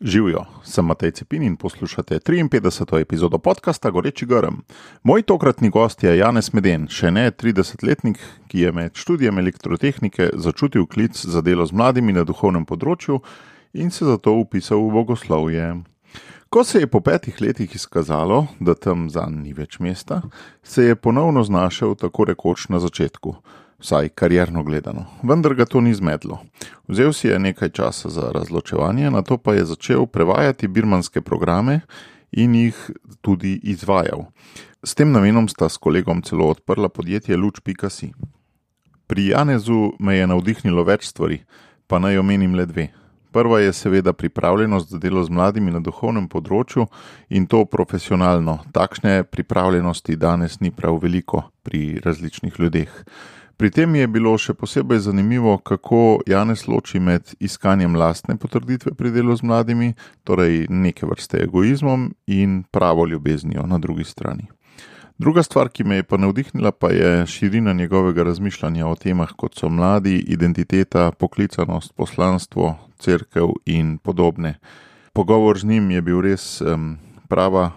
Živijo, sem Matej Cepin in poslušate 53. epizodo podcasta Goreči grm. Moj tokratni gost je Janez Meden, še ne 30-letnik, ki je med študijem elektrotehnike začutil klic za delo z mladimi na duhovnem področju in se zato vpisal v bogoslovje. Ko se je po 5 letih izkazalo, da tam zanj ni več mesta, se je ponovno znašel tako rekoč na začetku. Vsaj karierno gledano, vendar ga to ni zmedlo. Vzel si je nekaj časa za razločevanje, nato pa je začel prevajati birmanske programe in jih tudi izvajal. S tem namenom sta s kolegom celo odprla podjetje Luč.si. Pri Janezu me je navdihnilo več stvari, pa naj omenim le 2. Prva je seveda pripravljenost za delo z mladimi na duhovnem področju in to profesionalno. Takšne pripravljenosti danes ni prav veliko pri različnih ljudeh. Pri tem je bilo še posebej zanimivo, kako Janez loči med iskanjem lastne potrditve pri delu z mladimi, torej neke vrste egoizmom in pravo ljubeznijo na drugi strani. Druga stvar, ki me je pa navdihnila, pa je širina njegovega razmišljanja o temah, kot so mladi, identiteta, poklicanost, poslanstvo, cerkev in podobne. Pogovor z njim je bil res prava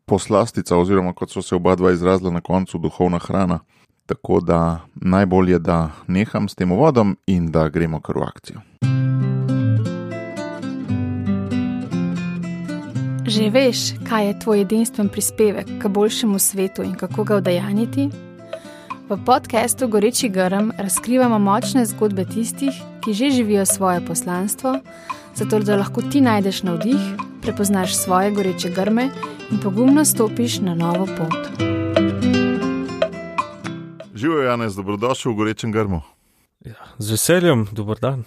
poslastica, oziroma kot so se oba dva izrazila na koncu, duhovna hrana. Tako da najbolje, da neham s tem uvodom in da gremo kar v akcijo. Že veš, kaj je tvoj edinstven prispevek k boljšemu svetu in kako ga udejanjiti? V podcastu Goreči grm razkrivamo močne zgodbe tistih, ki že živijo svoje poslanstvo, zato da lahko ti najdeš navdih, prepoznaš svoje goreče grme in pogumno stopiš na novo pot. Živijo, Janez, dobrodošel v Gorečem grmu. Ja, z veseljem, dober dan.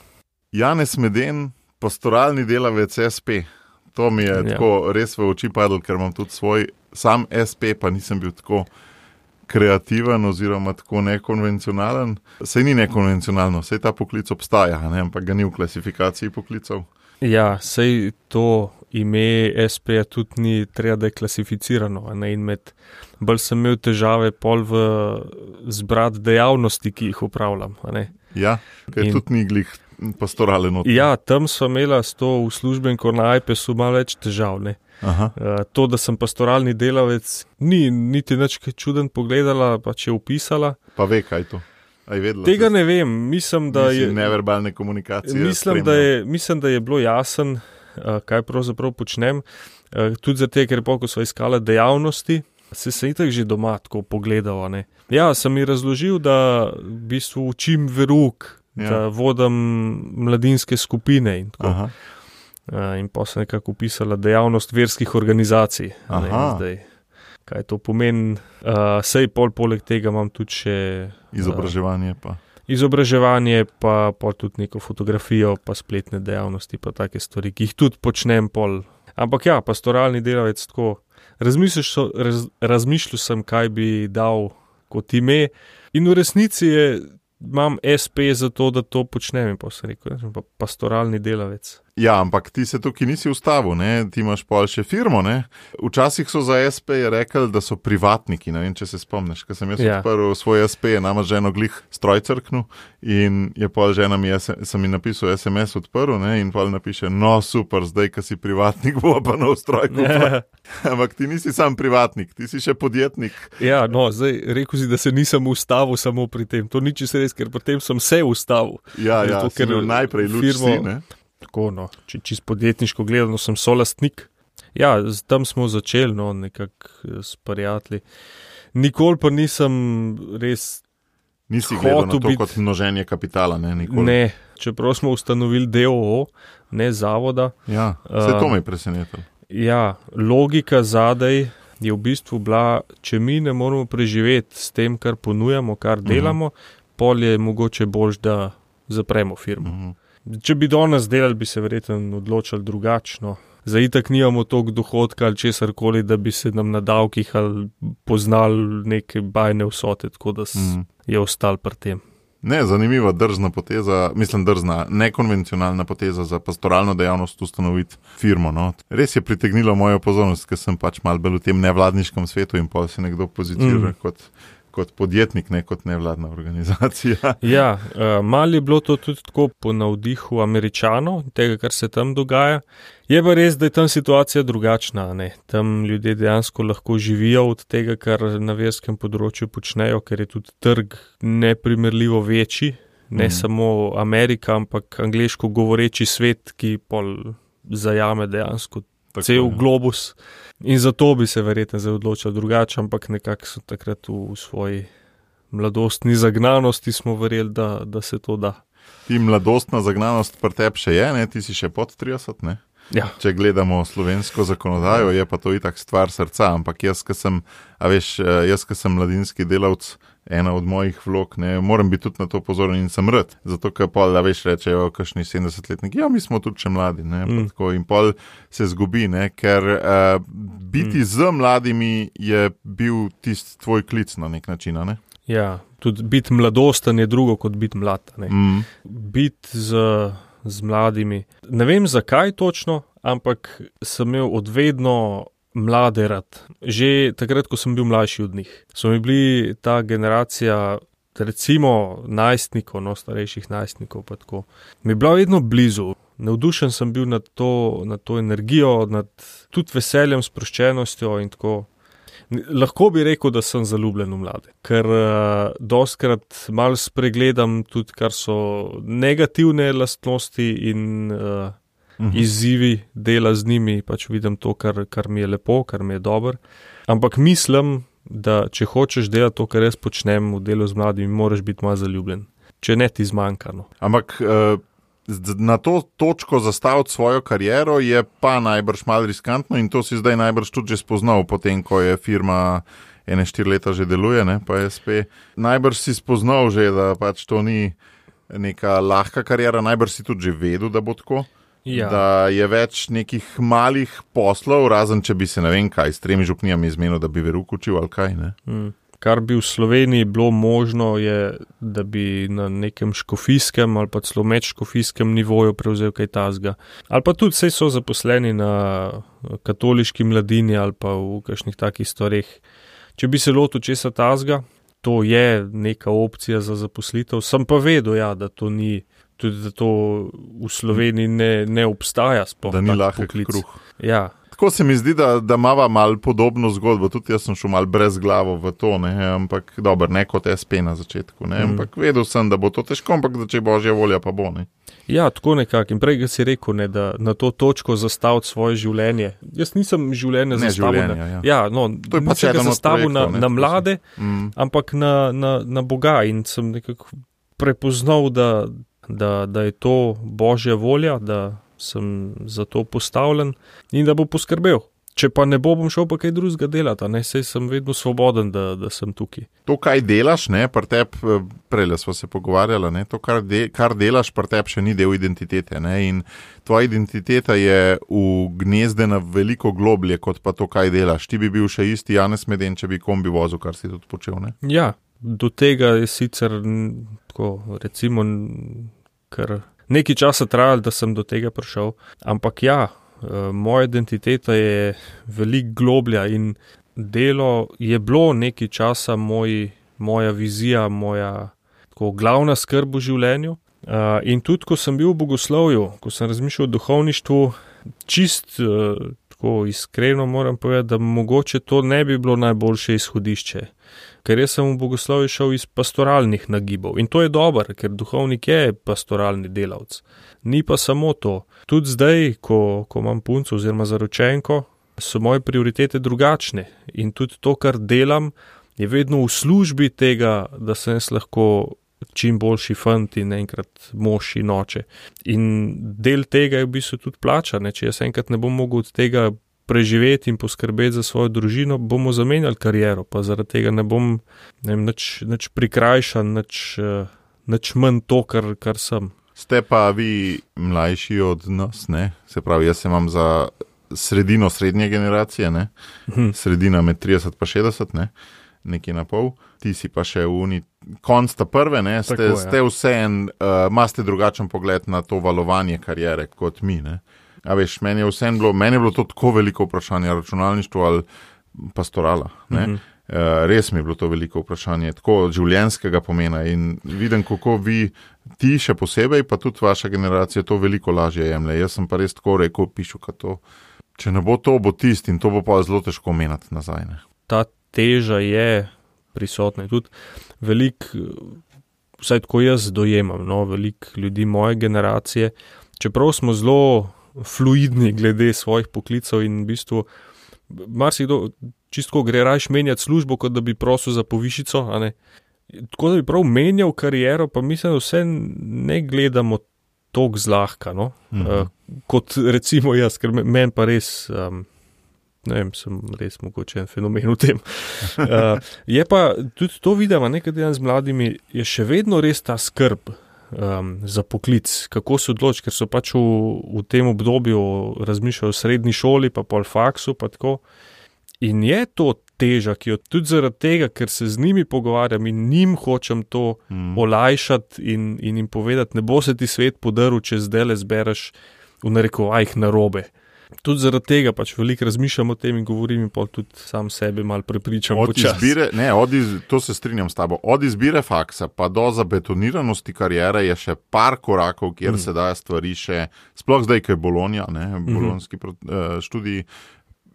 Janez Meden, pastoralni delavec SP. To mi je tako res v oči padlo, ker imam tudi svoj sam SP, pa nisem bil tako kreativen oziroma tako nekonvencionalen. Sej ni nekonvencionalno, sej ta poklic obstaja, ne? Ampak ga ni v klasifikaciji poklicov. Ja, sej to ime SP tudi ni treba, da je klasificirano. Ne? In bolj sem imel težave pol v zbrati dejavnosti, ki jih upravljam. Ne? Ja, kaj tudi ni glih pastoralen. Ja, tam sva imela s to uslužbenko na iPesu malo več težav. Ne? To, da sem pastoralni delavec, ni niti nič čuden pogledala, pa če upisala. Pa ve, kaj to? Tega ne vem, mislim, da je neverbalne komunikacije. Mislim, da je bilo jasen, kaj pravzaprav počnem. Tudi zato, ker ko sva iskala dejavnosti, se itak že doma tako pogledala. Ne. Ja, sem ji razložil, da v bistvu učim verouk, da vodim mladinske skupine in tako. In pa sem nekako upisala dejavnost verskih organizacij. Zdaj, kaj to pomeni, sej poleg tega imam tudi še Izobraževanje pa tudi neko fotografijo, pa spletne dejavnosti, pa take stvari, ki jih tudi počnem pol. Ampak ja, pastoralni delavec tako, razmišljal sem, kaj bi dal kot ime in v resnici imam SP za to, da to počnem in pa sem rekel, pastoralni delavec. Ja, ampak ti se tukaj nisi ustavil, ne? Ti imaš pol še firmo, ne? Včasih so za SP rekli, da so privatniki, ne vem, če se spomniš, ko sem jaz odprl svoj SP, nama ženo glih stroj crknil in je pol žena sem mi napisal SMS odprl, ne? In pol napiše, no super, zdaj, ko si privatnik, bo pa nov stroj kupil. Ampak ti nisi sam privatnik, ti si še podjetnik. Ja, no, zdaj rekel si, da se nisem ustavil samo pri tem, to ni čisto res, ker potem sem se ustavil. Ja, zato, ker najprej Luč.si, ne? Tako, no, čisto podjetniško gledano sem solastnik. Ja, tam smo začeli, no, nekako s prijatelji. Nikoli pa nisem res Nisi gledal na to kot množenje kapitala, ne? Nikoli. Ne, čeprav smo ustanovili DOO, ne zavoda. Ja, vse to me je presenetilo. Ja, logika zadaj je v bistvu bila, če mi ne moramo preživeti s tem, kar ponujamo, kar delamo, pol je mogoče boljš, da zapremo firmo. Če bi danes delali, bi se verjetno odločili drugačno. Za itak nimamo toliko dohodka ali česarkoli, da bi se nam na davkih ali poznali neke bajne vsote, tako da je ostal pri tem. Ne, zanimiva, drzna poteza, nekonvencionalna poteza za pastoralno dejavnost ustanoviti firmo. No. Res je pritegnilo mojo pozornost, ker sem pač malo bolj v tem nevladniškem svetu in pa se nekdo pozicira kot kot podjetnik, ne kot nevladna organizacija. Ja, malo je bilo to tudi tako po navdihu Američanov, tega, kar se tam dogaja. Je pa res, da je tam situacija drugačna, ne. Tam ljudje dejansko lahko živijo od tega, kar na verskem področju počnejo, ker je tudi trg neprimerljivo večji, ne samo Amerika, ampak angleško govoreči svet, ki pol zajame dejansko cel globus. In zato bi se verjetno zdaj odločil drugače, ampak nekako so takrat v svoji mladostni zagnanosti smo verjeli, da se to da. Ti mladostna zagnanost pri tebi še je, ne? Ti si še pod 30, ne? Ja. Če gledamo slovensko zakonodajo, je pa to itak stvar srca, ampak jaz, ki sem mladinski delavec, ena od mojih vlog, ne, moram biti tudi na to pozoren in sem rad, zato ker pol, rečejo, kakšni 70-letniki, ja, mi smo tudi še mladi, ne, tako, in pol se zgubi, ne, ker biti z mladimi je bil tisti tvoj klic na nek način, ne? Ja, tudi biti mladosten je drugo kot biti mlad, ne. Biti z mladimi. Ne vem zakaj točno, ampak sem imel odvedno mlade rad. Že takrat, ko sem bil mlajši od njih. So mi bili ta generacija, recimo najstnikov, starejših najstnikov pa tako. Mi je bila vedno blizu. Navdušen sem bil nad to energijo, nad tudi veseljem, sproščenostjo in tako. Lahko bi rekel, da sem zaljubljen v mlade, ker dostikrat malo spregledam tudi, kar so negativne lastnosti in izzivi dela z njimi, pač vidim to, kar mi je lepo, kar mi je dobro. Ampak mislim, da če hočeš delati to, kar jaz počnem v delu z mladimi, moraš biti malo zaljubljen, če ne ti zmanjka. No. Ampak na to točko zastaviti svojo kariero je pa najbrž malo riskantno in to si zdaj najbrž tudi že spoznal, potem ko je firma 4 leta že deluje, ne, pa SP. Najbrž si spoznal že, da pač to ni neka lahka kariera, najbrž si tudi že vedel, da bo tako. Ja. Da je več nekih malih poslov, razen če bi se ne vem kaj, s 3 župnijami izmenil, da bi veruk učil ali kaj, ne. Kar bi v Sloveniji bilo možno je, da bi na nekem škofijskem ali pa celo medškofijskem nivoju prevzel kaj tazga. Ali pa tudi saj so zaposleni na katoliški mladini ali pa v kakšnih takih stvareh. Če bi se lotil česa tazga, to je neka opcija za zaposlitev. Sem pa vedel, ja, da to ni, tudi da to v Sloveniji ne obstaja sploh. Da ni lahek kruh. Ja. Tako se mi zdi, da imava malo podobno zgodbo, tudi jaz sem šel malo brez glavo v to, ne, ampak dobro, ne kot SP na začetku, ne, ampak vedel sem, da bo to težko, ampak da če božja volja pa bo, ne. Ja, tako nekako in prej si rekel, ne, da na to točko zastaviti svoje življenje. Jaz nisem življenje zastavil nisem ga zastavil na mlade, ampak na Boga in sem nekako prepoznal, da je to božja volja, da sem za to postavljen in da bo poskrbel. Če pa ne bom šel pa kaj drugega delati, ne, saj sem vedno svoboden, da sem tukaj. To, kaj delaš, ne, pri tebi, prejle sva se pogovarjala, ne, to, kar delaš pri tebi, še ni del identitete, ne, in tvoja identiteta je ugnezdena veliko globlje, kot pa to, kaj delaš. Ti bi bil še isti Janez Meden, če bi kombi vozil, kar si tudi počel, ne? Ja, do tega je sicer, tako, recimo, kar nekaj časa trajalo, da sem do tega prišel, ampak ja, moja identiteta je veliko globlja in delo je bilo nekaj časa moja vizija, moja tako glavna skrb v življenju. In tudi, ko sem bil v bogoslovju, ko sem razmišljal o duhovništvu, čist tako iskreno moram povedati, da mogoče to ne bi bilo najboljše izhodišče. Ker jaz sem v bogoslovju šel iz pastoralnih nagibov in to je dobro, ker duhovnik je pastoralni delavec. Ni pa samo to. Tudi zdaj, ko imam punco oziroma zaročenko, so moje prioritete drugačne in tudi to, kar delam, je vedno v službi tega, da sem jaz lahko čim boljši fant in enkrat mož in oče. In del tega je v bistvu tudi plača, ne? Če jaz enkrat ne bom mogel od tega preživeti in poskrbeti za svojo družino, bomo zamenjali kariero, pa zaradi tega ne bom nič prikrajšan, nič manj to, kar sem. Ste pa vi mlajši od nas, ne? Se pravi, jaz se imam za sredino srednje generacije, ne? Sredina med 30 pa 60, ne? Nekaj na pol. Ti si pa še konc ta prve, ne? Ste vseeno, imate drugačen pogled na to valovanje kariere kot mi, ne? A veš, meni je bilo to tako veliko vprašanje, računalništvo ali pastorala, ne? Res mi je bilo to veliko vprašanje, tako življenjskega pomena in vidim, kako vi, ti še posebej, pa tudi vaša generacija to veliko lažje jemlje. Jaz sem pa res tako rekel, pišu, to, če ne bo to, bo tisti in to bo pa zelo težko menati nazaj. Ne. Ta teža je prisotna in tudi vsaj tako jaz dojemam, veliko ljudi moje generacije, čeprav smo zelo fluidni glede svojih poklicev in v bistvu marsikdo čisto gre rajš menjati službo, kot da bi prosil za povišico, a ne. Tako da bi prav menjal kariero, pa mislim, da vse ne gledamo toliko zlahka, kot recimo jaz, ker meni pa res, ne vem, sem res mogoče en fenomen v tem. Je pa tudi to vidimo, nekaj z mladimi, je še vedno res ta skrb za poklic, kako se odloči, ker so pač v tem obdobju razmišljajo o srednji šoli, pa pol faksu, pa tako. In je to teža, ki jo tudi zaradi tega, ker se z njimi pogovarjam in njim hočem to olajšati in jim povedati, ne bo se ti svet podaril, če zdaj le zbereš v narekovajih narobe. Tudi zaradi tega pač veliko razmišljam o tem in govorim in pol tudi sam sebe malo prepričam počasi. To se strinjam s tabo. Od izbire faksa pa do zabetoniranosti karijere je še par korakov, kjer se dajo stvari še, sploh zdaj, ko je Bologna, bolonski študij,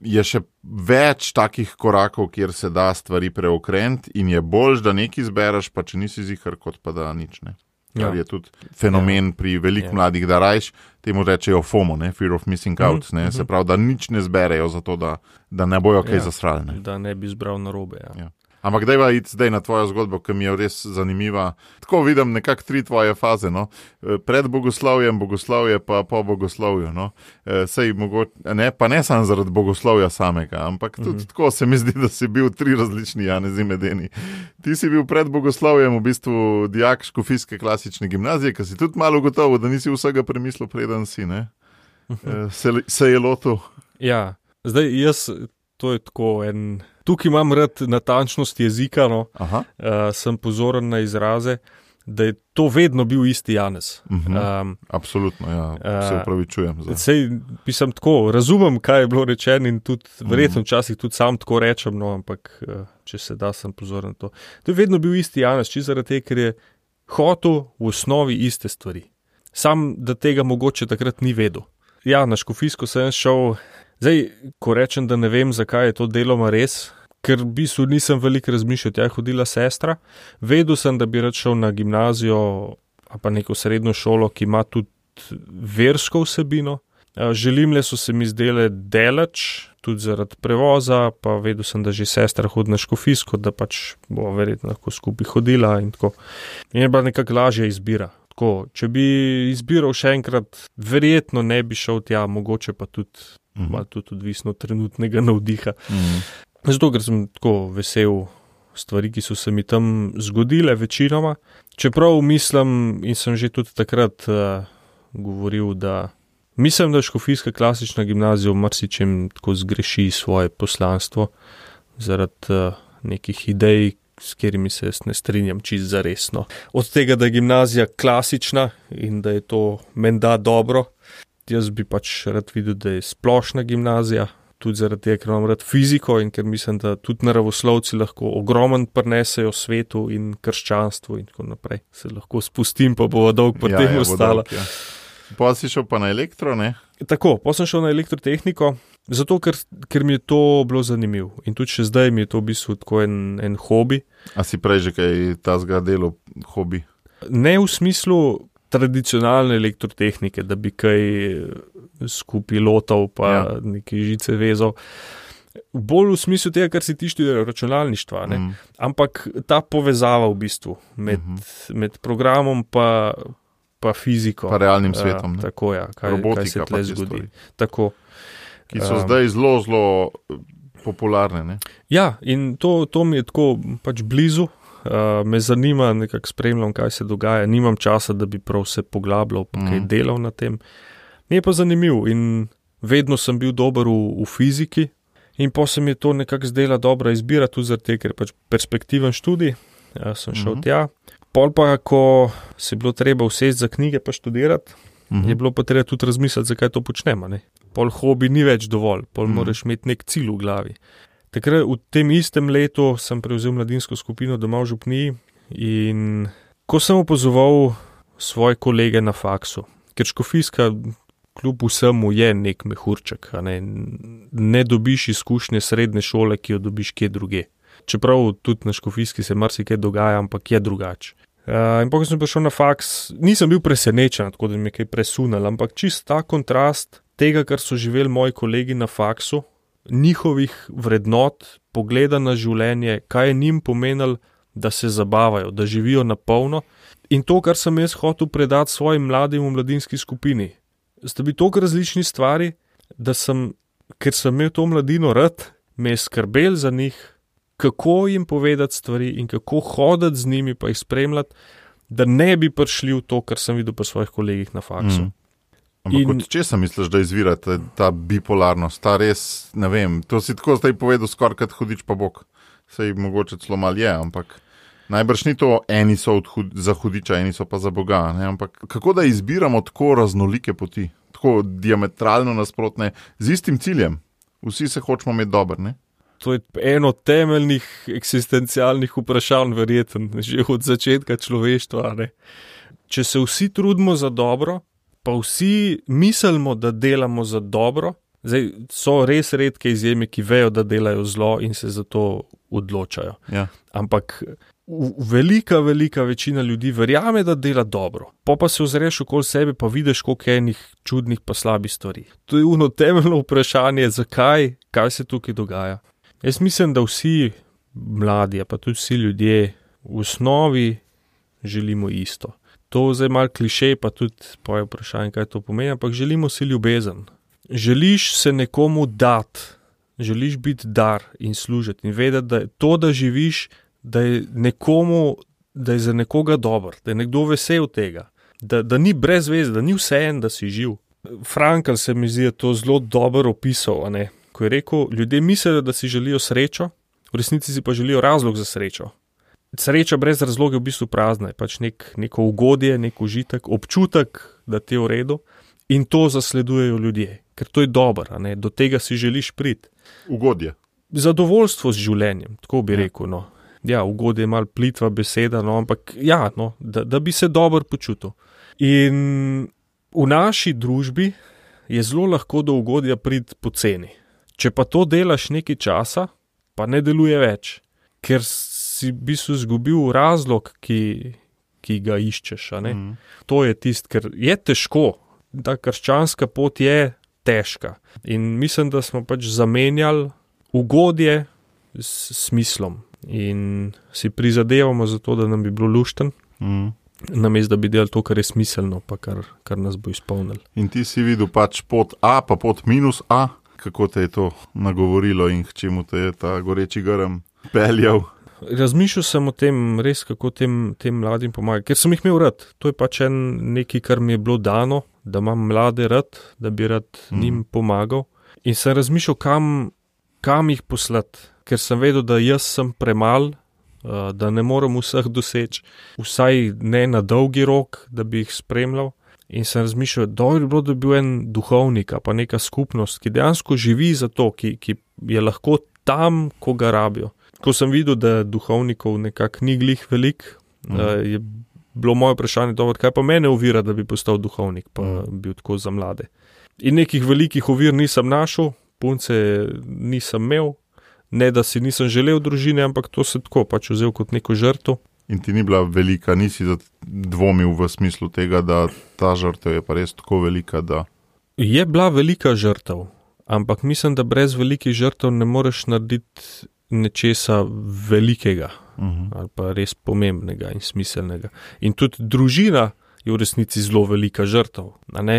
je še več takih korakov, kjer se da stvari preokreniti in je boljš, da nekaj zbereš, pa če nisi zihar, kot pa da nič, ne. Kar je tudi fenomen pri veliko mladih, da rajš, temu rečejo FOMO, fear of missing out, se pravi, da nič ne zberejo zato, da ne bojo kaj zasrali. Da ne bi zbral narobe, ja. Ampak dajva iti zdaj na tvojo zgodbo, ki mi je res zanimiva. Tako vidim nekako 3 tvoje faze, Pred bogoslovjem, bogoslovje pa po bogoslovju, Sej pa ne samo zaradi bogoslovja samega, ampak tudi tako se mi zdi, da si bil 3 različni Janezi Medeni. Ti si bil pred bogoslovjem v bistvu dijak škofijske klasične gimnazije, ki si tudi malo gotovo, da nisi vsega premislil, preden si, ne? Se je lotil. Ja, zdaj jaz, to je tako tukaj imam rad natančnost jezika, sem pozoren na izraze, da je to vedno bil isti Janez. Absolutno, ja, se upravičujem. Sej, pisam tako, razumem, kaj je bilo rečeno in tudi, verjetno včasih tudi sam tako rečem, ampak če se da, sem pozoren na to. To je vedno bil isti Janez, čisto zaradi tega, ker je hotel v osnovi iste stvari. Sam, da tega mogoče takrat ni vedel. Ja, na škofijsko sem šel. Zdaj, ko rečem, da ne vem, zakaj je to deloma res, ker v bistvu nisem veliko razmišljal, tja je hodila sestra, vedel sem, da bi rad šel na gimnazijo ali pa neko srednjo šolo, ki ima tudi versko vsebino. Želimle so se mi zdele daleč, tudi zaradi prevoza, pa vedel sem, da že sestra hodi na škofijsko, da pač bo verjetno lahko skupaj hodila in tako. In je bila nekako lažja izbira. Tako, če bi izbiral še enkrat, verjetno ne bi šel tja, mogoče pa tudi malo tudi odvisno trenutnega navdiha. Zato, ker sem tako vesel stvari, ki so se mi tam zgodile večinoma. Čeprav mislim in sem že tudi takrat govoril, da mislim, da škofijska klasična gimnazija v marsičem tako zgreši svoje poslanstvo zaradi nekih idej, s katerimi se jaz ne strinjam čisto zaresno. Od tega, da je gimnazija klasična in da je to menda dobro, jaz bi pač rad videl, da je splošna gimnazija, tudi zaradi tega, ker imam rad fiziko in ker mislim, da tudi naravoslovci lahko ogromen prinesejo svetu in krščanstvu in tako naprej. Se lahko spustim, pa bo dolg po tem ostala. Pa si šel pa na elektro, ne? Tako, pa sem šel na elektrotehniko, zato ker mi je to bilo zanimivo. In tudi še zdaj mi je to v bistvu tako en hobi. A si prej že kaj tazga delo hobi? Ne v smislu tradicionalne elektrotehnike, da bi kaj skupaj lotal pa neke žice vezal. Bolj v smislu tega, kar si ti študira računalništva, ne? Ampak ta povezava v bistvu med programom pa fiziko. Pa realnim svetom. Tako, ja, kaj se tle zgodi. Tako. Ki so zdaj zelo, zelo popularne, ne? Ja, in to mi je tako pač blizu. Me zanima, nekako spremljam, kaj se dogaja. Nimam časa, da bi prav se poglabljal pa kaj delal na tem. Mi je pa zanimiv in vedno sem bil dober v fiziki in pa se mi je to nekako zdela dobra izbira, tudi zaradi tega, ker je pač perspektiven študij. Sem šel tja. Pol pa, ko se je bilo treba usesti za knjige pa študirati, je bilo pa treba tudi razmisliti, zakaj to počnemo, ne. Pol hobi ni več dovolj, pol moraš imeti nek cilj v glavi. Takrat v tem istem letu sem prevzel mladinsko skupino doma v Župniji in ko sem opazoval svoje kolege na faksu, ker škofijska kljub vsemu je nek mehurček, ne dobiš izkušnje srednje šole, ki jo dobiš kje druge. Čeprav tudi na škofijski se marsikaj dogaja, ampak je drugače. In ko sem prišel na faks, nisem bil presenečen, tako da mi je kaj presunal, ampak čist ta kontrast tega, kar so živeli moji kolegi na faksu, njihovih vrednot, pogleda na življenje, kaj je njim pomenilo, da se zabavajo, da živijo na polno. In to, kar sem jaz hotel predati svojim mladim v mladinski skupini, sta bili toliko različni stvari, da ker sem imel to mladino rad, me je skrbel za njih, kako jim povedati stvari in kako hoditi z njimi pa jih spremljati, da ne bi prišli v to, kar sem videl pri svojih kolegih na faksu. Ampak od česa misliš, da izvira ta bipolarnost, ta res, ne vem, to si tako zdaj povedal skoraj kot hudič pa bog. Sej mogoče celo mal je, ampak najbrž ni to, eni so za hudiča, eni so pa za Boga, ne? Ampak kako da izbiramo tako raznolike poti, tako diametralno nasprotne, z istim ciljem, vsi se hočemo imeti dober, ne? To je eno temeljnih eksistencialnih vprašanj, verjetno, že od začetka človeštva, ne? Če se vsi trudimo za dobro, pa vsi mislimo, da delamo za dobro, zdaj so res redke izjeme, ki vejo, da delajo zlo in se za to odločajo. Ja. Ampak velika večina ljudi verjame, da dela dobro. Pa se ozreš okoli sebe, pa vidiš, koliko je enih čudnih pa slabih stvari. To je ono temeljno vprašanje, zakaj, kaj se tukaj dogaja. Jaz mislim, da vsi mladi, pa tudi vsi ljudje v osnovi želimo isto. To zdaj malo klišej, pa tudi poje vprašanje, kaj to pomeni, ampak želimo si ljubezen. Želiš se nekomu dati, želiš biti dar in služiti in vedeti, da je to, da živiš, da je za nekoga dober, da je nekdo vesel tega, da ni brez veze, da ni vseeno, da si živ. Frankl se mi zdi to zelo dobro opisal, ne? Ko je rekel, ljudje mislijo, da si želijo srečo, v resnici si pa želijo razlog za srečo. Sreča brez razloga je v bistvu prazna, je pač neko ugodje, nek užitek, občutek, da ti je v redu in to zasledujejo ljudje, ker to je dobro, do tega si želiš priti. Ugodje. Zadovoljstvo z življenjem, tako bi rekel, no. Ja, ugodje je malo plitva beseda, no, ampak ja, no, da bi se dobro počutil. In v naši družbi je zelo lahko do ugodja priti poceni. Če pa to delaš nekaj časa, pa ne deluje več, ker si v bistvu izgubil razlog, ki ga iščeš. To je tisto, ker je težko, ta krščanska pot je težka. In mislim, da smo pač zamenjali ugodje s smislom in si prizadevamo za to, da nam bi bilo lušten, namesto da bi delali to, kar je smiselno, pa kar nas bo izpolnilo. In ti si videl pač pot A, pa pot minus A, kako te je to nagovorilo in k čemu te je ta goreči grm peljal? Razmišljal sem o tem, res kako tem mladim pomagati, ker sem jih imel rad. To je pač nekaj, kar mi je bilo dano, da imam mlade rad, da bi rad njim pomagal. In sem razmišljal, kam jih poslati, ker sem vedel, da jaz sem premal, da ne morem vseh doseči, vsaj ne na dolgi rok, da bi jih spremljal. In sem razmišljal, dobro bi bilo, da bi bil en duhovnik, pa neka skupnost, ki dejansko živi za to, ki je lahko tam, ko ga rabijo. Ko sem videl, da duhovnikov nekako ni glih velik, je bilo moje vprašanje, dobro, kaj pa mene ovira, da bi postal duhovnik, pa bil tako za mlade. In nekih velikih ovir nisem našel, punce nisem imel, ne da si nisem želel družine, ampak to se tako pač vzel kot neko žrtev. In ti ni bila velika, nisi dvomil v smislu tega, da ta žrtev je pa res tako velika, da... Je bila velika žrtev, ampak mislim, da brez velikih žrtev ne moreš narediti nečesa velikega, ali pa res pomembnega in smiselnega. In tudi družina je v resnici zelo velika žrtev.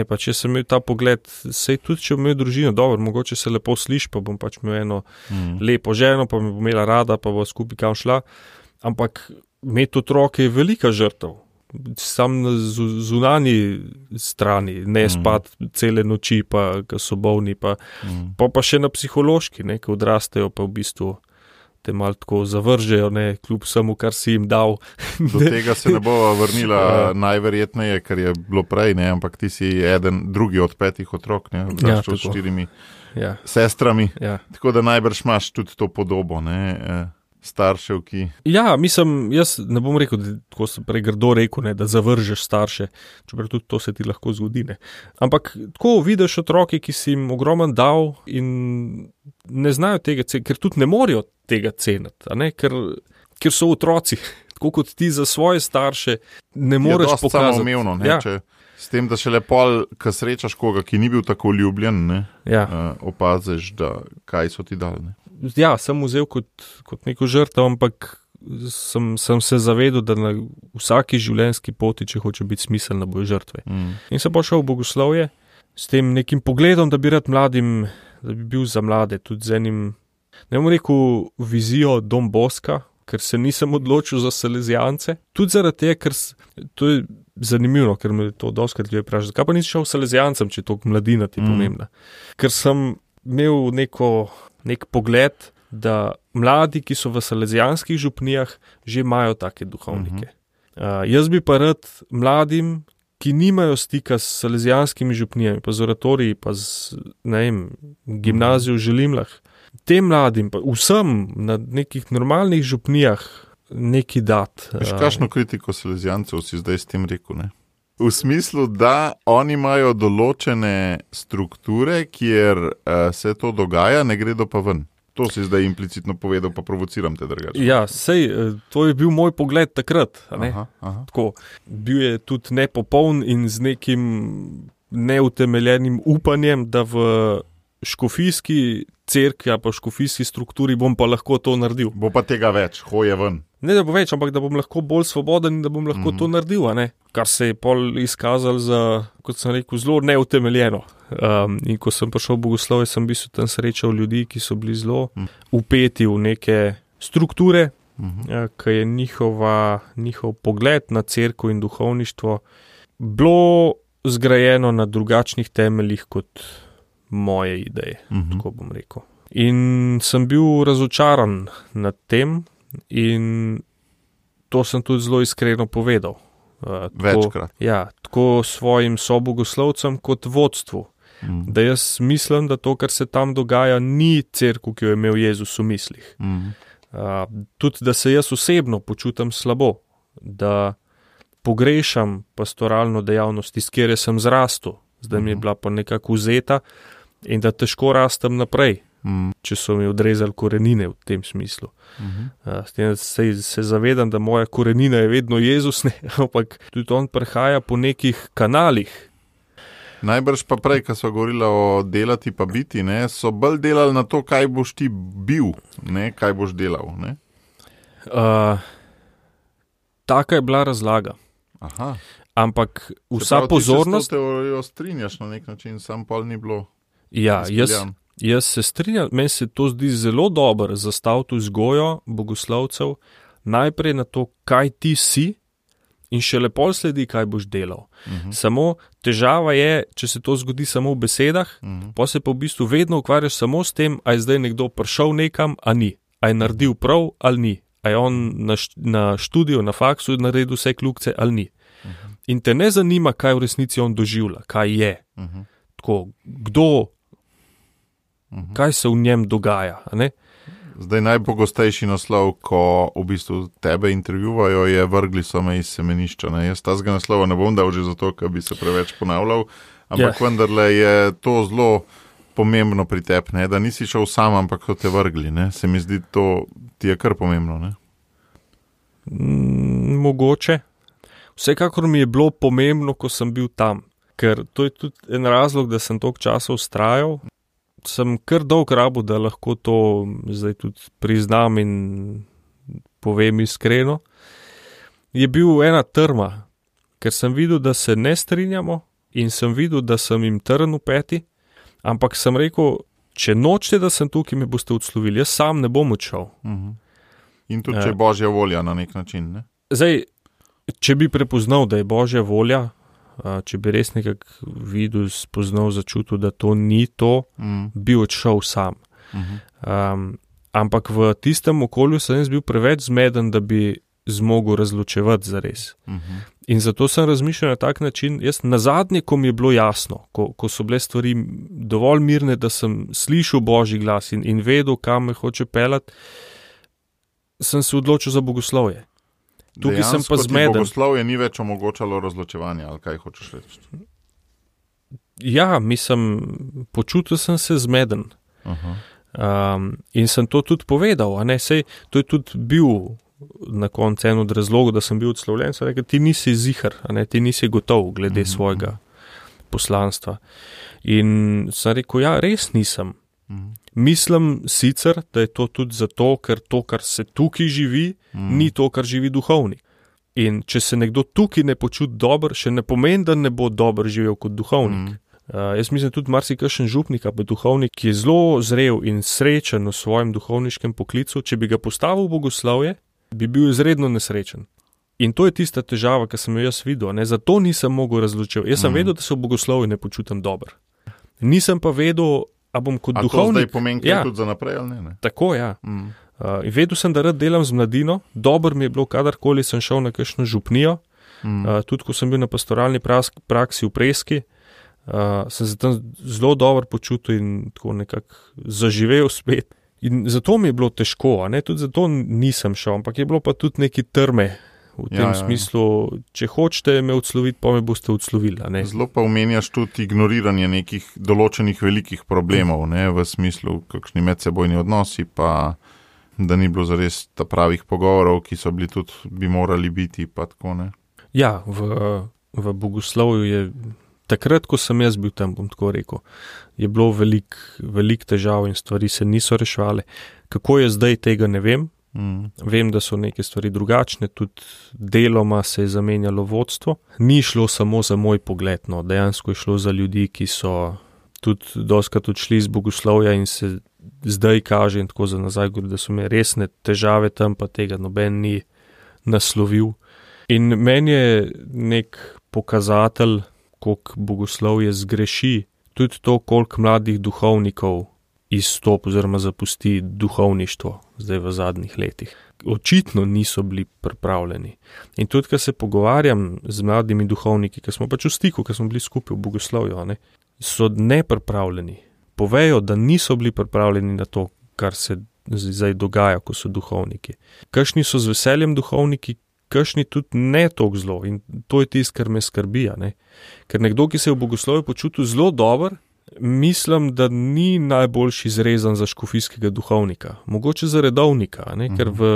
Pa če sem imel ta pogled, sej tudi če bom imel družino, dobro, mogoče se lepo sliši, pa bom pač imel eno lepo ženo, pa me bo imela rada, pa bo skupaj kam šla, ampak imeti otroke je velika žrtev. Sam na zunanji strani, ne spati cele noči, pa ko so bolni, pa še na psihološki, ko odrastejo, pa v bistvu te malo tako zavržejo, kljub vsemu, kar si jim dal. Do tega se ne bova vrnila najverjetneje, ker je bilo prej, ampak ti si drugi od 5 otrok, odraščal s 4 sestrami. Ja. Tako da najbrž imaš tudi to podobo, ne, staršev, ki... Ja, mislim, jaz ne bom rekel, da, tako sem prej grdo rekel, ne, da zavržeš starše, čeprav tudi to se ti lahko zgodi. Ne. Ampak tako vidiš otroke, ki si jim ogromen dal in ne znajo tega ceniti, ker tudi ne morejo tega ceniti, a ne, ker so otroci, tako kot ti za svoje starše ne moreš pokazati. Je dosti samoumevno, ne, če s tem, da šele pol, ko srečaš koga, ki ni bil tako ljubljen, ne, opaziš, da kaj so ti dali, ne. Ja, sem vzel kot neko žrtev, ampak sem se zavedel, da na vsaki življenjski poti, če hoče biti smiselna, bojo žrtve. In sem pošel v bogoslovje s tem nekim pogledom, da bi rad mladim, da bi bil za mlade, tudi z enim, ne bom rekel, vizijo Don Boska, ker se nisem odločil za salezijance. Tudi zaradi tega, ker to je zanimivo, ker me to dostikrat ljudje vprašajo, zakaj pa nisi šel salezijancem, če je to mladina ti pomembna. Ker sem imel nek pogled, da mladi, ki so v salezijanskih župnijah, že imajo take duhovnike. Jaz bi pa rad mladim, ki nimajo stika s salezijanskimi župnijami, pa z oratoriji, pa z, ne vem, gimnazijo v Želimlah, tem mladim, pa vsem na nekih normalnih župnijah neki dat. Veš, kakšno kritiko salezijancev si zdaj s tem rekel, ne? V smislu, da oni imajo določene strukture, kjer se to dogaja, ne gredo pa ven. To si zdaj implicitno povedal, pa provociram te drugače. Ja, sej, to je bil moj pogled takrat. A ne? Aha. Tako, bil je tudi nepopoln in z nekim neutemeljenim upanjem, da v škofijski cerkvi, pa v škofijski strukturi bom pa lahko to naredil. Bo pa tega več, hoje ven. Ne, da bo več, ampak da bom lahko bolj svoboden in da bom lahko to naredil, a ne? Kar se je pol izkazal za, kot sem rekel, zelo neutemeljeno. In ko sem prišel v bogoslovje, sem bil tam srečal ljudi, ki so bili zelo vpeti v neke strukture, ki je njihov pogled na cerkev in duhovništvo bilo zgrajeno na drugačnih temeljih kot moje ideje, tako bom rekel. In sem bil razočaran nad tem in to sem tudi zelo iskreno povedal. Večkrat. Ja, tako svojim sobogoslovcem kot vodstvu. Da jaz mislim, da to, kar se tam dogaja, ni cerkev, ki jo je imel Jezus v mislih. Tudi, da se jaz osebno počutim slabo, da pogrešam pastoralno dejavnost, iz kjer sem zrastel, zdaj mi je bila pa nekako vzeta in da težko rastem naprej, če so mi odrezali korenine v tem smislu. S tem se zavedam, da moja korenina je vedno Jezus, ne, ampak tudi on prehaja po nekih kanalih. Najbrž pa prej, ko so govorili o delati pa biti, ne, so bolj delali na to, kaj boš ti bil, ne, kaj boš delal. Ne? Taka je bila razlaga. Aha. Ampak vsa pozornost... Se pravi, ti se s to teorijo strinjaš na nek način, sam pol ni bilo... Ja, jaz se strinjam, meni se to zdi zelo dobro zastaviti vzgojo bogoslovcev najprej na to, kaj ti si in šele pol sledi, kaj boš delal. Samo težava je, če se to zgodi samo v besedah, pa se pa v bistvu vedno ukvarjaš samo s tem, a je zdaj nekdo prišel nekam, a ni, a je naredil prav ali ni, a je on na študiju, na faksu naredil vse kljukce ali ni. In te ne zanima, kaj v resnici on doživlja, kaj je. Tako, kdo, kaj se v njem dogaja, a ne? Zdaj najpogostejši naslov, ko v bistvu tebe intervjuvajo, je vrgli so me iz semenišča. Ne? Jaz tazga naslova ne bom dal že zato, ker bi se preveč ponavljal, ampak vendarle je to zelo pomembno pri tebi, ne? Da nisi šel sam, ampak so te vrgli. Ne? Se mi zdi, to ti je kar pomembno. Ne? Mogoče. Vsekakor mi je bilo pomembno, ko sem bil tam, ker to je tudi en razlog, da sem toliko časa vztrajal. Sem kar dolg rabil, da lahko to zdaj tudi priznam in povem iskreno. Je bil ena trma, ker sem videl, da se ne strinjamo in sem videl, da sem jim trn v peti, ampak sem rekel, če nočete, da sem tukaj, me boste odslovili, jaz sam ne bom odšel. In tudi, če je Božja volja na nek način, ne? Zdaj, če bi prepoznal, da je Božja volja, če bi res nekako videl, spoznal, začutil, da to ni to, bi odšel sam. Ampak v tistem okolju sem bil preveč zmeden, da bi zmogel razločevati zares. In zato sem razmišljal na tak način, jaz nazadnje, ko mi je bilo jasno, ko so bile stvari dovolj mirne, da sem slišal Božji glas in vedel, kam me hoče pelati, sem se odločil za bogoslovje. Tukaj dejansko sem pa zmeden. Bogoslovje ni več omogočalo razločevanja, ali kaj hočeš reči? Ja, počutil sem se zmeden. In sem to tudi povedal, a ne, sej, to je tudi bil na koncu en od razlogov, da sem bil odslovljen, so rekel, ti nisi zihar, a ne, ti nisi gotov glede svojega poslanstva. In sem rekel, ja, res nisem. Mislim sicer, da je to tudi zato, ker to, kar se tukaj živi, ni to, kar živi duhovnik. In če se nekdo tukaj ne počuti dobro, še ne pomeni, da ne bo dobro živel kot duhovnik. Jaz mislim tudi marsikakšen župnik, pa duhovnik, ki je zelo zrel in srečen v svojem duhovniškem poklicu, če bi ga postavil v bogoslovje, bi bil izredno nesrečen. In to je tista težava, ki sem jo jaz videl, ne? Zato nisem mogel razločiti. Jaz sem vedel, da se v bogoslovju ne počutim dobro. Nisem pa vedel, a bom kot duhovnik... A to zdaj pomeni kaj tudi za naprej, ali ne? Tako, ja. Vedel sem, da rad delam z mladino, dobro mi je bilo, kadarkoli sem šel na kakšno župnijo, tudi ko sem bil na pastoralni praksi v Preski, sem se tam zelo dobro počutil in tako nekako zaživel spet. In zato mi je bilo težko, a ne, tudi zato nisem šel, ampak je bilo pa tudi neki trme v tem smislu, če hočete me odsloviti, pa me boste odslovili, a ne. Zelo pa omenjaš tudi ignoriranje nekih določenih velikih problemov, ne, v smislu kakšni medsebojni odnosi, pa da ni bilo zares ta pravih pogovorov, ki so bili tudi, bi morali biti, pa tako, ne. Ja, v bogoslovju je takrat, ko sem jaz bil tam, bom tako rekel, je bilo velik težav in stvari se niso reševale. Kako je zdaj, tega ne vem. Vem, da so neke stvari drugačne, tudi deloma se je zamenjalo vodstvo. Ni šlo samo za moj pogled, no, dejansko je šlo za ljudi, ki so tudi dostikrat odšli iz bogoslovja in se zdaj kaže in tako za nazaj, da so imeli resne težave tam, pa tega noben ni naslovil. In meni je nek pokazatelj, koliko bogoslovje zgreši, tudi to, koliko mladih duhovnikov izstop oziroma zapusti duhovništvo zdaj v zadnjih letih. Očitno niso bili pripravljeni. In tudi, ko se pogovarjam z mladimi duhovniki, ki smo pač v stiku, ki smo bili skupaj v bogoslovju, ne, so nepripravljeni. Povejo, da niso bili pripravljeni na to, kar se zdaj dogaja, ko so duhovniki. Kakšni so z veseljem duhovniki, kakšni tudi ne toliko zlo. In to je tisto, kar me skrbi, ne. Ker nekdo, ki se je v bogoslovju počutil zelo dober, mislim, da ni najboljši zrezan za škofijskega duhovnika. Mogoče za redovnika, ne? Ker v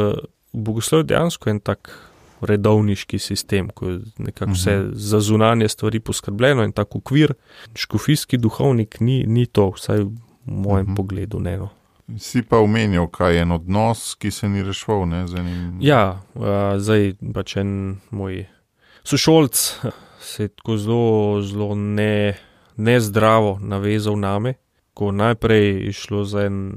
bogoslovju dejansko je en tak redovniški sistem, ko je nekako vse za zunanje stvari poskrbljeno in tak okvir. Škofijski duhovnik ni to, vsaj v mojem pogledu, ne, no. Si pa omenil, kaj je en odnos, ki se ni reševal, ne? Ja, zdaj pač en moj sošolc se je tako zelo nezdravo navezal name, ko najprej je šlo za en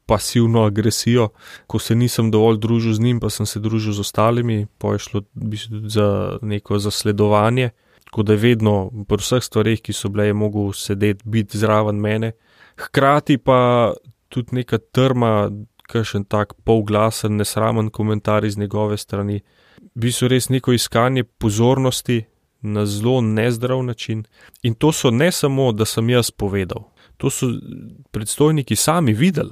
pasivno agresijo, ko se nisem dovolj družil z njim, pa sem se družil z ostalimi, pa je šlo tudi za neko zasledovanje, tako da je vedno pri vseh stvareh, ki so bile, je mogel sedeti, biti zraven mene. Hkrati pa tudi neka trma, kakšen tak polglasen, nesramen komentar iz njegove strani. Bi so res neko iskanje pozornosti na zelo nezdrav način. In to so ne samo, da sem jaz povedal. To so predstojniki sami videli,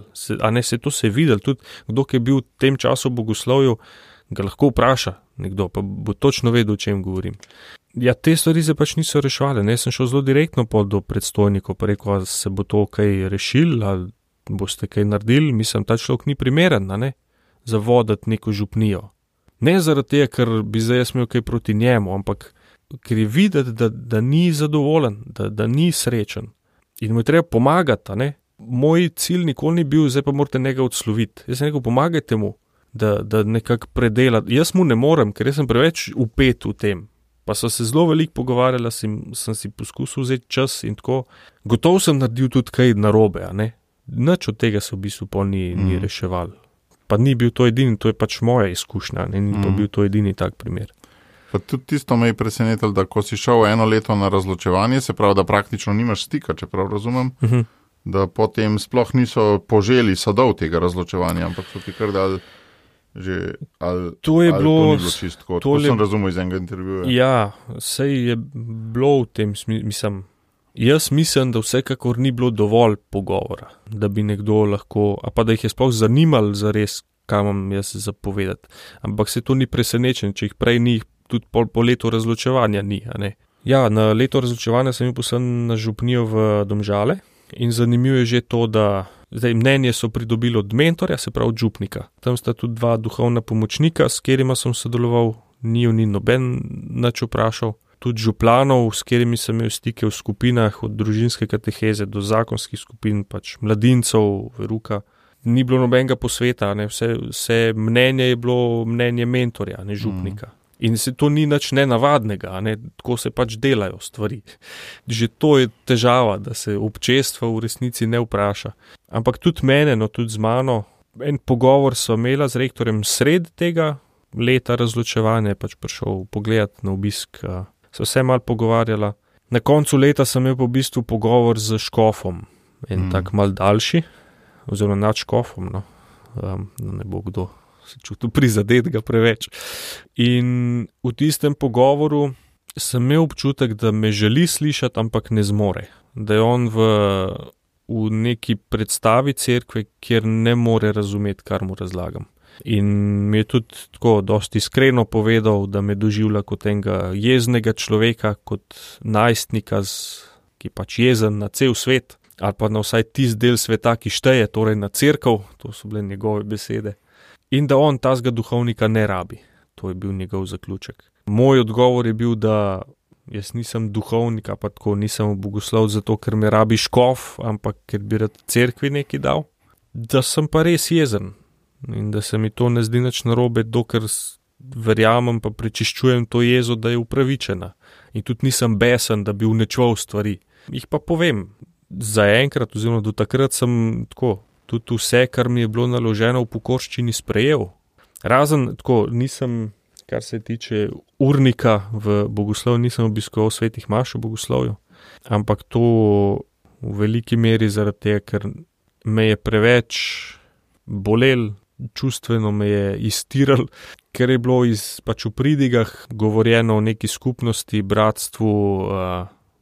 to se je videli, tudi kdo, ki je bil v tem času v bogoslovju, ga lahko vpraša nekdo, pa bo točno vedel, o čem govorim. Ja, te stvari se pač niso reševale, ne, sem šel zelo direktno do predstojnikov, pa rekel, ali se bo to kaj rešil, ali boste kaj naredili, mislim, ta človek ni primeren, ne, za voditi neko župnijo. Ne zaradi tega, ker bi zdaj jaz imel kaj proti njemu, ampak ker je videti, da ni zadovoljen, da ni srečen. In mu je treba pomagati, ne. Moj cilj nikoli ni bil, zdaj pa morate njega odsloviti. Jaz sem rekel, pomagajte mu, da nekako predela. Jaz mu ne morem, ker jaz sem preveč upet v tem. Pa so se zelo veliko pogovarjala, sem si poskusil vzeti čas in tako. Gotovo sem naredil tudi kaj narobe, a ne. Nič od tega se v bistvu pol ni reševal. Pa ni bil to edini, to je pač moja izkušnja, ne, ni pa bil to edini tak primer. Pa tudi tisto me je presenetilo, da ko si šel 1 leto na razločevanje, se pravi, da praktično nimaš stika, čeprav razumem, da potem sploh niso poželi sadov tega razločevanja, ampak so ti kar dali Že, ali, To je ali bilo, to ni bilo čistko, to sem razumel iz enega intervjuja. Ja, sej je bilo v tem smislu. Jaz mislim, da vsekakor ni bilo dovolj pogovora, da bi nekdo lahko, a pa da jih je sploh zanimalo zares, kaj imam jaz zapovedati. Ampak se to ni presenečen, če jih prej ni, tudi po letu razločevanja ni, a ne. Ja, na leto razločevanja sem bil poslan na župnijo v Domžale in zanimivo je že to, da zdaj mnenje so pridobili od mentorja, se pravi od župnika. Tam sta tudi dva duhovna pomočnika, s katerima sem sodeloval, ni noben nič vprašal. Tudi župlanov, s katerimi sem imel stike v skupinah, od družinske kateheze do zakonskih skupin, pač mladincev, veruka. Ni bilo nobenega posveta, ne? Vse mnenje je bilo mnenje mentorja, ne župnika. In se to ni nič nenavadnega, ne? Tako se pač delajo stvari. Že to je težava, da se občestvo v resnici ne vpraša. Ampak tudi mene, no tudi z mano, en pogovor sva imela z rektorjem sred tega leta razločevanja, je pač prišel pogledat na obisk, sva se malo pogovarjala. Na koncu leta sem imel v bistvu pogovor z škofom, en tak mal daljši, oziroma nad škofom, no, ne bo kdo se čutil prizadetega preveč. In v tistem pogovoru sem imel občutek, da me želi slišati, ampak ne zmore. Da je on v neki predstavi cerkve, kjer ne more razumeti, kar mu razlagam. In mi je tudi tako dosti iskreno povedal, da me doživlja kot enega jeznega človeka, kot najstnika, ki pač jezen na cel svet, ali pa na vsaj tisti del sveta, ki šteje, torej na cerkev, to so bile njegove besede. In da on tazga duhovnika ne rabi. To je bil njegov zaključek. Moj odgovor je bil, da jaz nisem duhovnik, pa tako nisem bogoslov zato, ker me rabi škof, ampak ker bi rad cerkvi nekaj dal. Da sem pa res jezen in da se mi to ne zdi nič narobe, dokler verjamem pa prečiščujem to jezo, da je upravičena. In tudi nisem besen, da bi uničeval stvari. Jih pa povem, zaenkrat oziroma do takrat sem tako, tudi vse, kar mi je bilo naloženo v pokorščini, sprejel. Razen tako, nisem, kar se tiče urnika v bogoslovju, nisem obiskoval svetih maš v bogoslovju, ampak to v veliki meri zaradi tega, ker me je preveč bolel, čustveno me je iztiral, ker je bilo pač v pridigah govorjeno o neki skupnosti, bratstvu,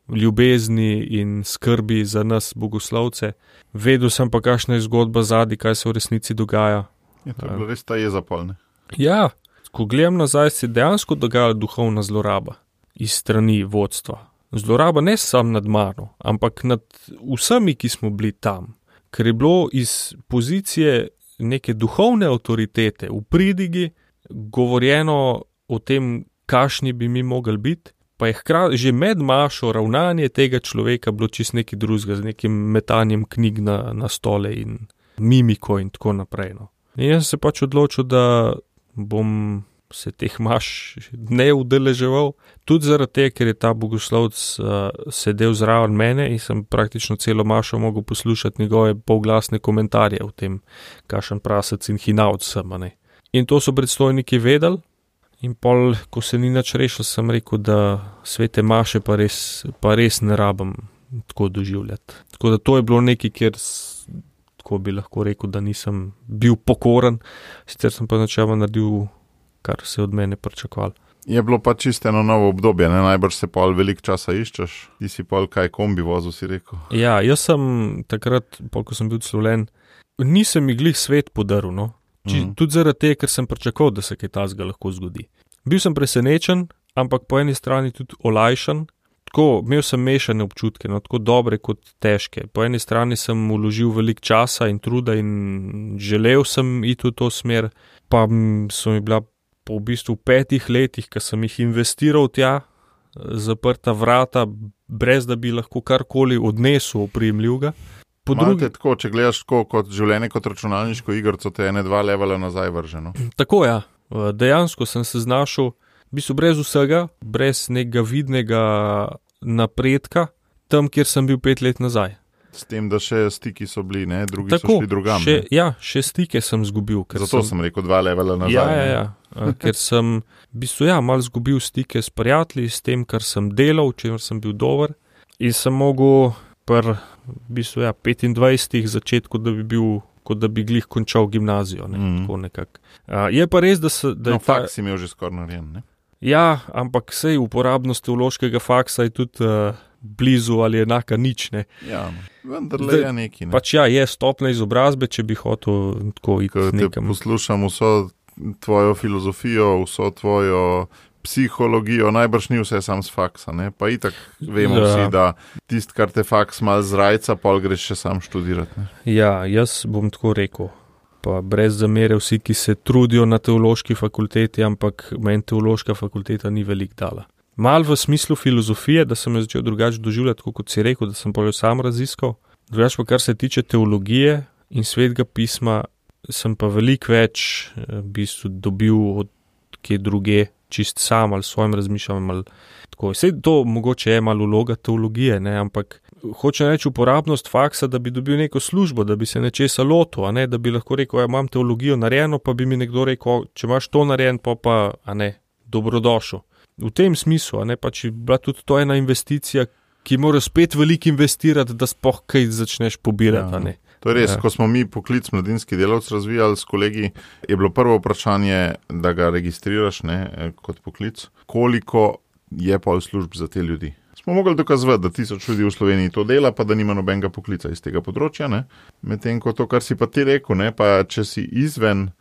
ljubezni in skrbi za nas bogoslovce. Vedel sem pa, kakšna je zgodba zadaj, kaj se v resnici dogaja. Je to bilo res ta jeza pol, ne? Ja, ko gledam nazaj, se dejansko dogaja duhovna zloraba iz strani vodstva. Zloraba ne samo nad mano, ampak nad vsemi, ki smo bili tam. Ker je bilo iz pozicije neke duhovne avtoritete v pridigi govorjeno o tem, kakšni bi mi mogli biti, pa je hkrati že med mašo ravnanje tega človeka bilo čisto nekaj drugega, z nekim metanjem knjig na stole in mimiko in tako naprej. No. In jaz sem se pač odločil, da bom se teh maš ne udeleževal, tudi zaradi tega, ker je ta bogoslovec sedel zraven mene in sem praktično celo mašo mogel poslušati njegove polglasne komentarje o tem, kakšen prasec in hinavc sem. In to so predstojniki vedeli in pol, ko se ni nič rešil, sem rekel, da svete maše pa res ne rabim tako doživljati. Tako da to je bilo nekaj, kjer tako bi lahko rekel, da nisem bil pokoren, sicer sem pa načeloma naredil, kar se od mene pričakovalo. Je bilo pa čisto eno novo obdobje, ne? Najbrž se pol veliko časa iščeš, ti si pol kaj kombi vozil, si rekel. Ja, jaz sem takrat, pol ko sem bil odslovljen, nisem mi glih svet podaril, no. Tudi zaradi tega, ker sem pričakoval, da se kaj tazga lahko zgodi. Bil sem presenečen, ampak po eni strani tudi olajšan. Tako, imel sem mešane občutke, no, tako dobre kot težke. Po eni strani sem vložil veliko časa in truda in želel sem iti v to smer, pa so mi bila po v bistvu 5 letih, ko sem jih investiral tja, zaprta vrata, brez da bi lahko karkoli odnesel oprijemljivega. Malite tako, če gledaš tako kot življenje, kot računalniško igrico, te 1-2 levela nazaj vrženo. Tako ja, dejansko sem se znašel v bistvu brez vsega, brez nekega vidnega napredka, tam, kjer sem bil 5 let nazaj. S tem, da še stiki so bili, ne? Drugi tako, so šli drugam. Še stike sem zgubil. Zato sem rekel 2 levela nazaj. Ja, ker sem v bistvu malo zgubil stike s prijatelji, s tem, kar sem delal, čemer sem bil dober in sem mogel v bistvu 25 začetku, da bi bil kot da bi glih končal gimnazijo. Tako nekako. Je pa res, da faks imel že skoraj narejen, ne? Ja, ampak sej uporabnost teološkega faksa je tudi blizu ali enaka nič, ne. Ja, vendarle je neki, ne. Pač ja, je stopna izobrazbe, če bi hotel tako iti nekam. Poslušam vso tvojo filozofijo, vso tvojo psihologijo, najbrž ni vse sam z faksa, ne? Pa itak vemo vsi, da tist, kar te faks mal zrajca, pol greš še sam študirati, ne? Ja, jaz bom tako rekel. Pa brez zamere vsi, ki se trudijo na teološki fakulteti, ampak meni teološka fakulteta ni veliko dala. Mal v smislu filozofije, da sem jo začel drugače doživljati, tako kot si rekel, da sem pa jo sam raziskal. Drugače pa kar se tiče teologije in svetega pisma, sem pa veliko več v bistvu dobil od kje druge, čist sam ali svojim razmišljanjem ali tako. Sej to mogoče je malo vloga teologije, ne, ampak hočem reči uporabnost faksa, da bi dobil neko službo, da bi se nečesa lotil, a ne, da bi lahko rekel, ja, imam teologijo narejeno, pa bi mi nekdo rekel, če imaš to narejen, pa, a ne, dobrodošel. V tem smislu, a ne, pa če bila tudi to ena investicija, ki mora spet veliko investirati, da sploh kaj začneš pobirati, a ne. To je res, ko smo mi poklic mladinski delavc razvijali s kolegi, je bilo prvo vprašanje, da ga registriraš, ne, kot poklic, koliko je pol služb za te ljudi. Smo mogli dokazovati, da 1000 ljudi v Sloveniji to dela, pa da nima nobenega poklica iz tega področja, ne. Medtem ko to, kar si pa ti rekel, ne, pa če si izven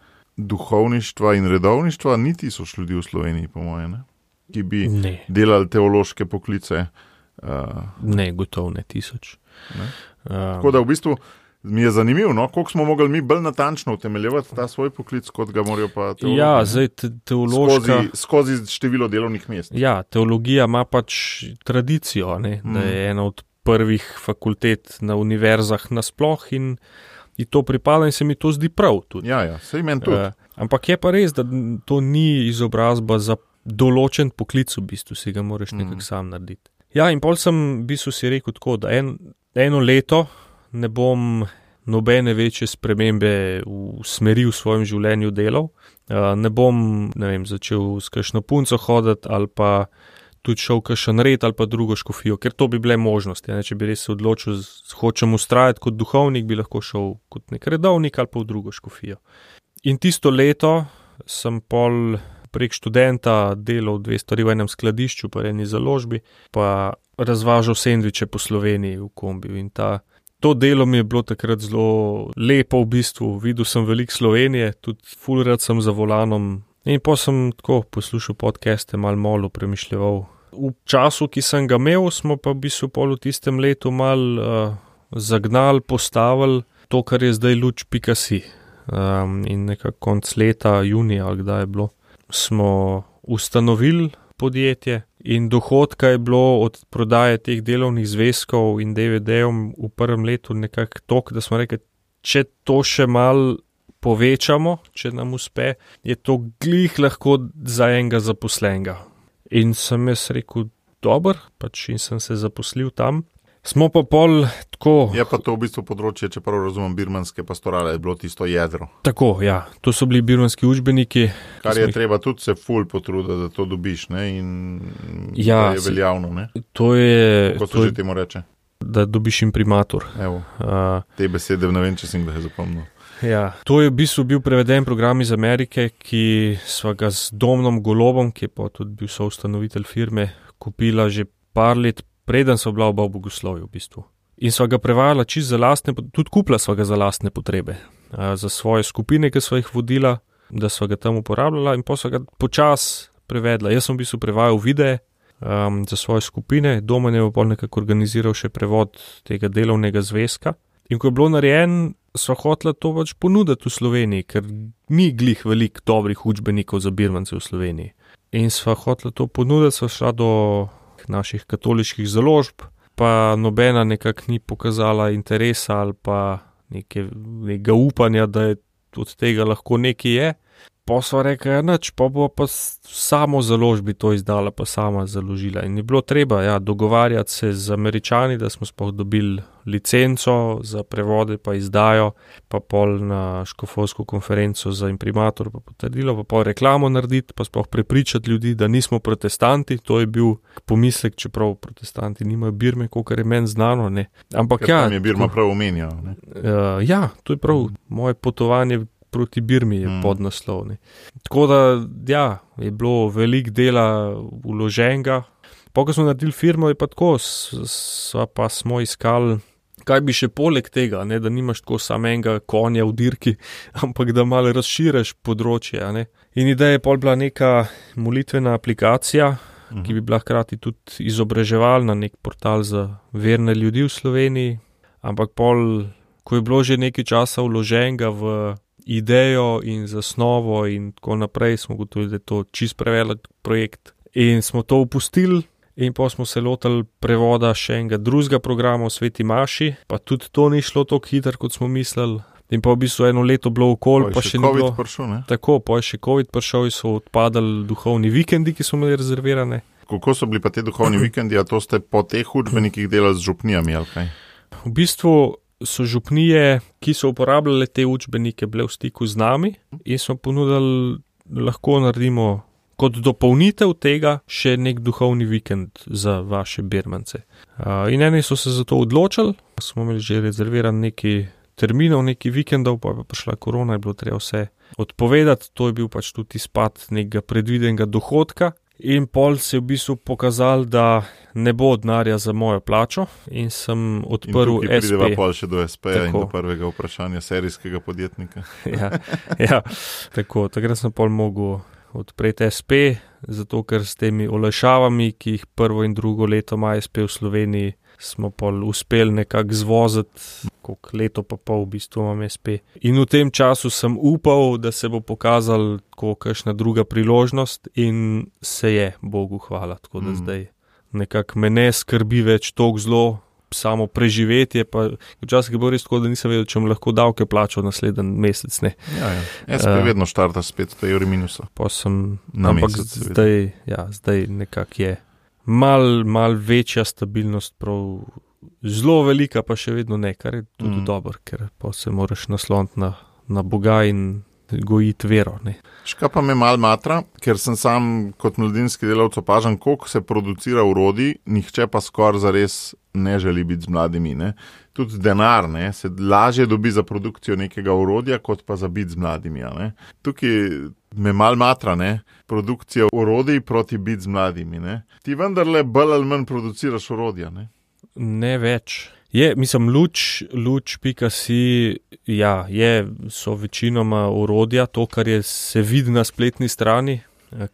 duhovništva in redovništva, ni 1000 ljudi v Sloveniji, po moje, ne, ki bi delali teološke poklice. Ne, gotovo ne 1000. Tako da v bistvu mi je zanimivo, no, koliko smo mogli mi bolj natančno utemeljevati ta svoj poklic, kot ga morajo pa teologi. Ja, zdaj teološka... Skozi število delovnih mest. Ja, teologija ima pač tradicijo, ne, da je ena od prvih fakultet na univerzah nasploh in to pripada in se mi to zdi prav tudi. Ja, sej meni tudi. Ampak je pa res, da to ni izobrazba za določen poklic, v bistvu si ga moraš nekako sam narediti. Ja, in pol sem v bistvu si rekel tako, da eno leto ne bom nobene večje spremembe v smeri v svojem življenju delal. Ne bom, ne vem, začel s kakšno punco hoditi ali pa tudi šel kakšen red ali pa drugo škofijo, ker to bi bile možnosti. Ne? Če bi res se odločil, hočem ustrajati kot duhovnik, bi lahko šel kot nek redovnik ali pa v drugo škofijo. In tisto leto sem pol prek študenta delal 2 stvari v enem skladišču, pa eni založbi, pa razvažal sendviče po Sloveniji v kombiju in to delo mi je bilo takrat zelo lepo v bistvu, videl sem veliko Slovenije, tudi ful rad sem za volanom in pa sem tako poslušal podcaste, malo premišljeval. V času, ki sem ga imel, smo pa v bistvu pol v tistem letu malo zagnali, postavili to, kar je zdaj luč.si. In nekako konc leta, junija, ali kdaj je bilo, smo ustanovili podjetje in dohodka je bilo od prodaje teh delovnih zvezkov in DVD-ov v prvem letu nekako toliko, da smo rekli, če to še malo povečamo, če nam uspe, je to glih lahko za enega zaposlenega. In sem jaz rekel, dober, pač in sem se zaposlil tam. Smo pa pol tako... Je pa to v bistvu področje, če prav razumem, birmanske pastorale, je bilo tisto jedro. Tako, ja. To so bili birmanski učbeniki. Kar je treba tudi se ful potruditi, da to dobiš, ne, in ja, da je veljavno, ne. To je... Kako se že temu reče? Da dobiš imprimatur. Evo, te besede ne vem, če sem ga zapomnil. Ja, to je v bistvu bil preveden program iz Amerike, ki sva ga z Domnom Golobom, ki je pa tudi bil soustanovitelj firme, kupila že par let preden so bila oba v bogoslovju v bistvu. In sva ga prevajala čist za lastne, tudi kupila sva ga za lastne potrebe, za svoje skupine, ki sva jih vodila, da sva ga tam uporabljala in pa sva ga počas prevedla. Jaz sem v bistvu prevajal videe za svoje skupine, Domen je pa nekako organiziral še prevod tega delovnega zvezka. In ko je bilo narejen, sva hotela to pač ponuditi v Sloveniji, ker ni glih veliko dobrih učbenikov za birmance v Sloveniji. In sva hotela to ponuditi, sva šla do naših katoliških založb, pa nobena nekako ni pokazala interesa ali pa nekega upanja, da je od tega lahko nekaj je. Pa sva rekla, nič, pa bo pa samo založbi to izdala, pa sama založila. In je bilo treba dogovarjati se z Američani, da smo sploh dobili licenco za prevode pa izdajo, pa pol na škofovsko konferenco za imprimator pa potrdilo, pa pol reklamo narediti, pa sploh prepričati ljudi, da nismo protestanti. To je bil pomislek, čeprav protestanti nimajo Birme, kolikor je meni znano, ne. Ampak tam je Birma prav omenjal, ne? To je prav, moje potovanje proti Birmi je podnaslov, ne. Tako da, je bilo veliko dela vloženega. Po, ko smo naredili firmo, je pa tako, pa smo iskali, kaj bi še poleg tega, ne, da nimaš tako samega konja v dirki, ampak da malo razširiš področje, ne. In ideja je pol bila neka molitvena aplikacija, ki bi bila hkrati tudi izobraževalna, nek portal za verne ljudi v Sloveniji, ampak pol, ko je bilo že nekaj časa vloženega v idejo in zasnovo in tako naprej, smo gotovili, da je to čist prevelik projekt in smo to opustili in pa smo se lotili prevoda še enega drugega programa v Sveti Maši, pa tudi to ni šlo tako hitro, kot smo mislili. In pa v bistvu eno leto bilo okoli, pa še ni bilo. Prišel, ne? Tako, pa je še COVID prišel in so odpadali duhovni vikendi, ki so imeli rezervirane. Kako so bili pa te duhovni vikendi, a to ste po teh učbenikih delali z župnijami, ali kaj? V bistvu so župnije, ki so uporabljale te učbenike, bile v stiku z nami in smo ponudili, lahko naredimo kot dopolnitev tega še nek duhovni vikend za vaše Birmance. In eni so se za to odločili, smo imeli že rezerviran neki terminov, neki vikendov, pa je prišla korona, je bilo treba vse odpovedati, to je bil pač tudi izpad nekega predvidenega dohodka. In pol se je v bistvu pokazal, da ne bo denarja za mojo plačo in sem odprl SP. In tukaj prideva pol še do SP-ja in do prvega vprašanja serijskega podjetnika. Tako, takrat sem pol mogel odpreti SP, zato ker s temi olajšavami, ki jih prvo in drugo leto ima SP v Sloveniji, smo pol uspeli nekako zvoziti, koliko leto pa pol v bistvu imam SP. In v tem času sem upal, da se bo pokazal tako kakšna druga priložnost in se je, Bogu hvala, tako da zdaj nekako me ne skrbi več toliko zlo, samo preživetje, pa včasih je bilo res tako, da nisem vedel, če bom lahko davke plačal naslednji mesec, ne. SP vedno štarta spet, to je euri minusa. Pa sem, na ampak mesec, zdaj nekako je mal večja stabilnost, prav zelo velika, pa še vedno ne, kar je tudi dobro, ker pa se moraš nasloniti na Boga in gojiti vero, ne. Škaj pa me mal matra, ker sem sam kot mladinski delavec opažam, koliko se producira orodij, nihče pa skoraj zares ne želi biti z mladimi, ne. Tudi denar, ne, se lažje dobi za produkcijo nekega orodja, kot pa za biti z mladimi, ne. Tukaj me mal matra, ne, produkcija orodij proti biti z mladimi, ne. Ti vendarle bolj ali manj produciraš orodja, ne. Ne več. Mislim, luč.si, so večinoma orodja, to, kar se vidi na spletni strani,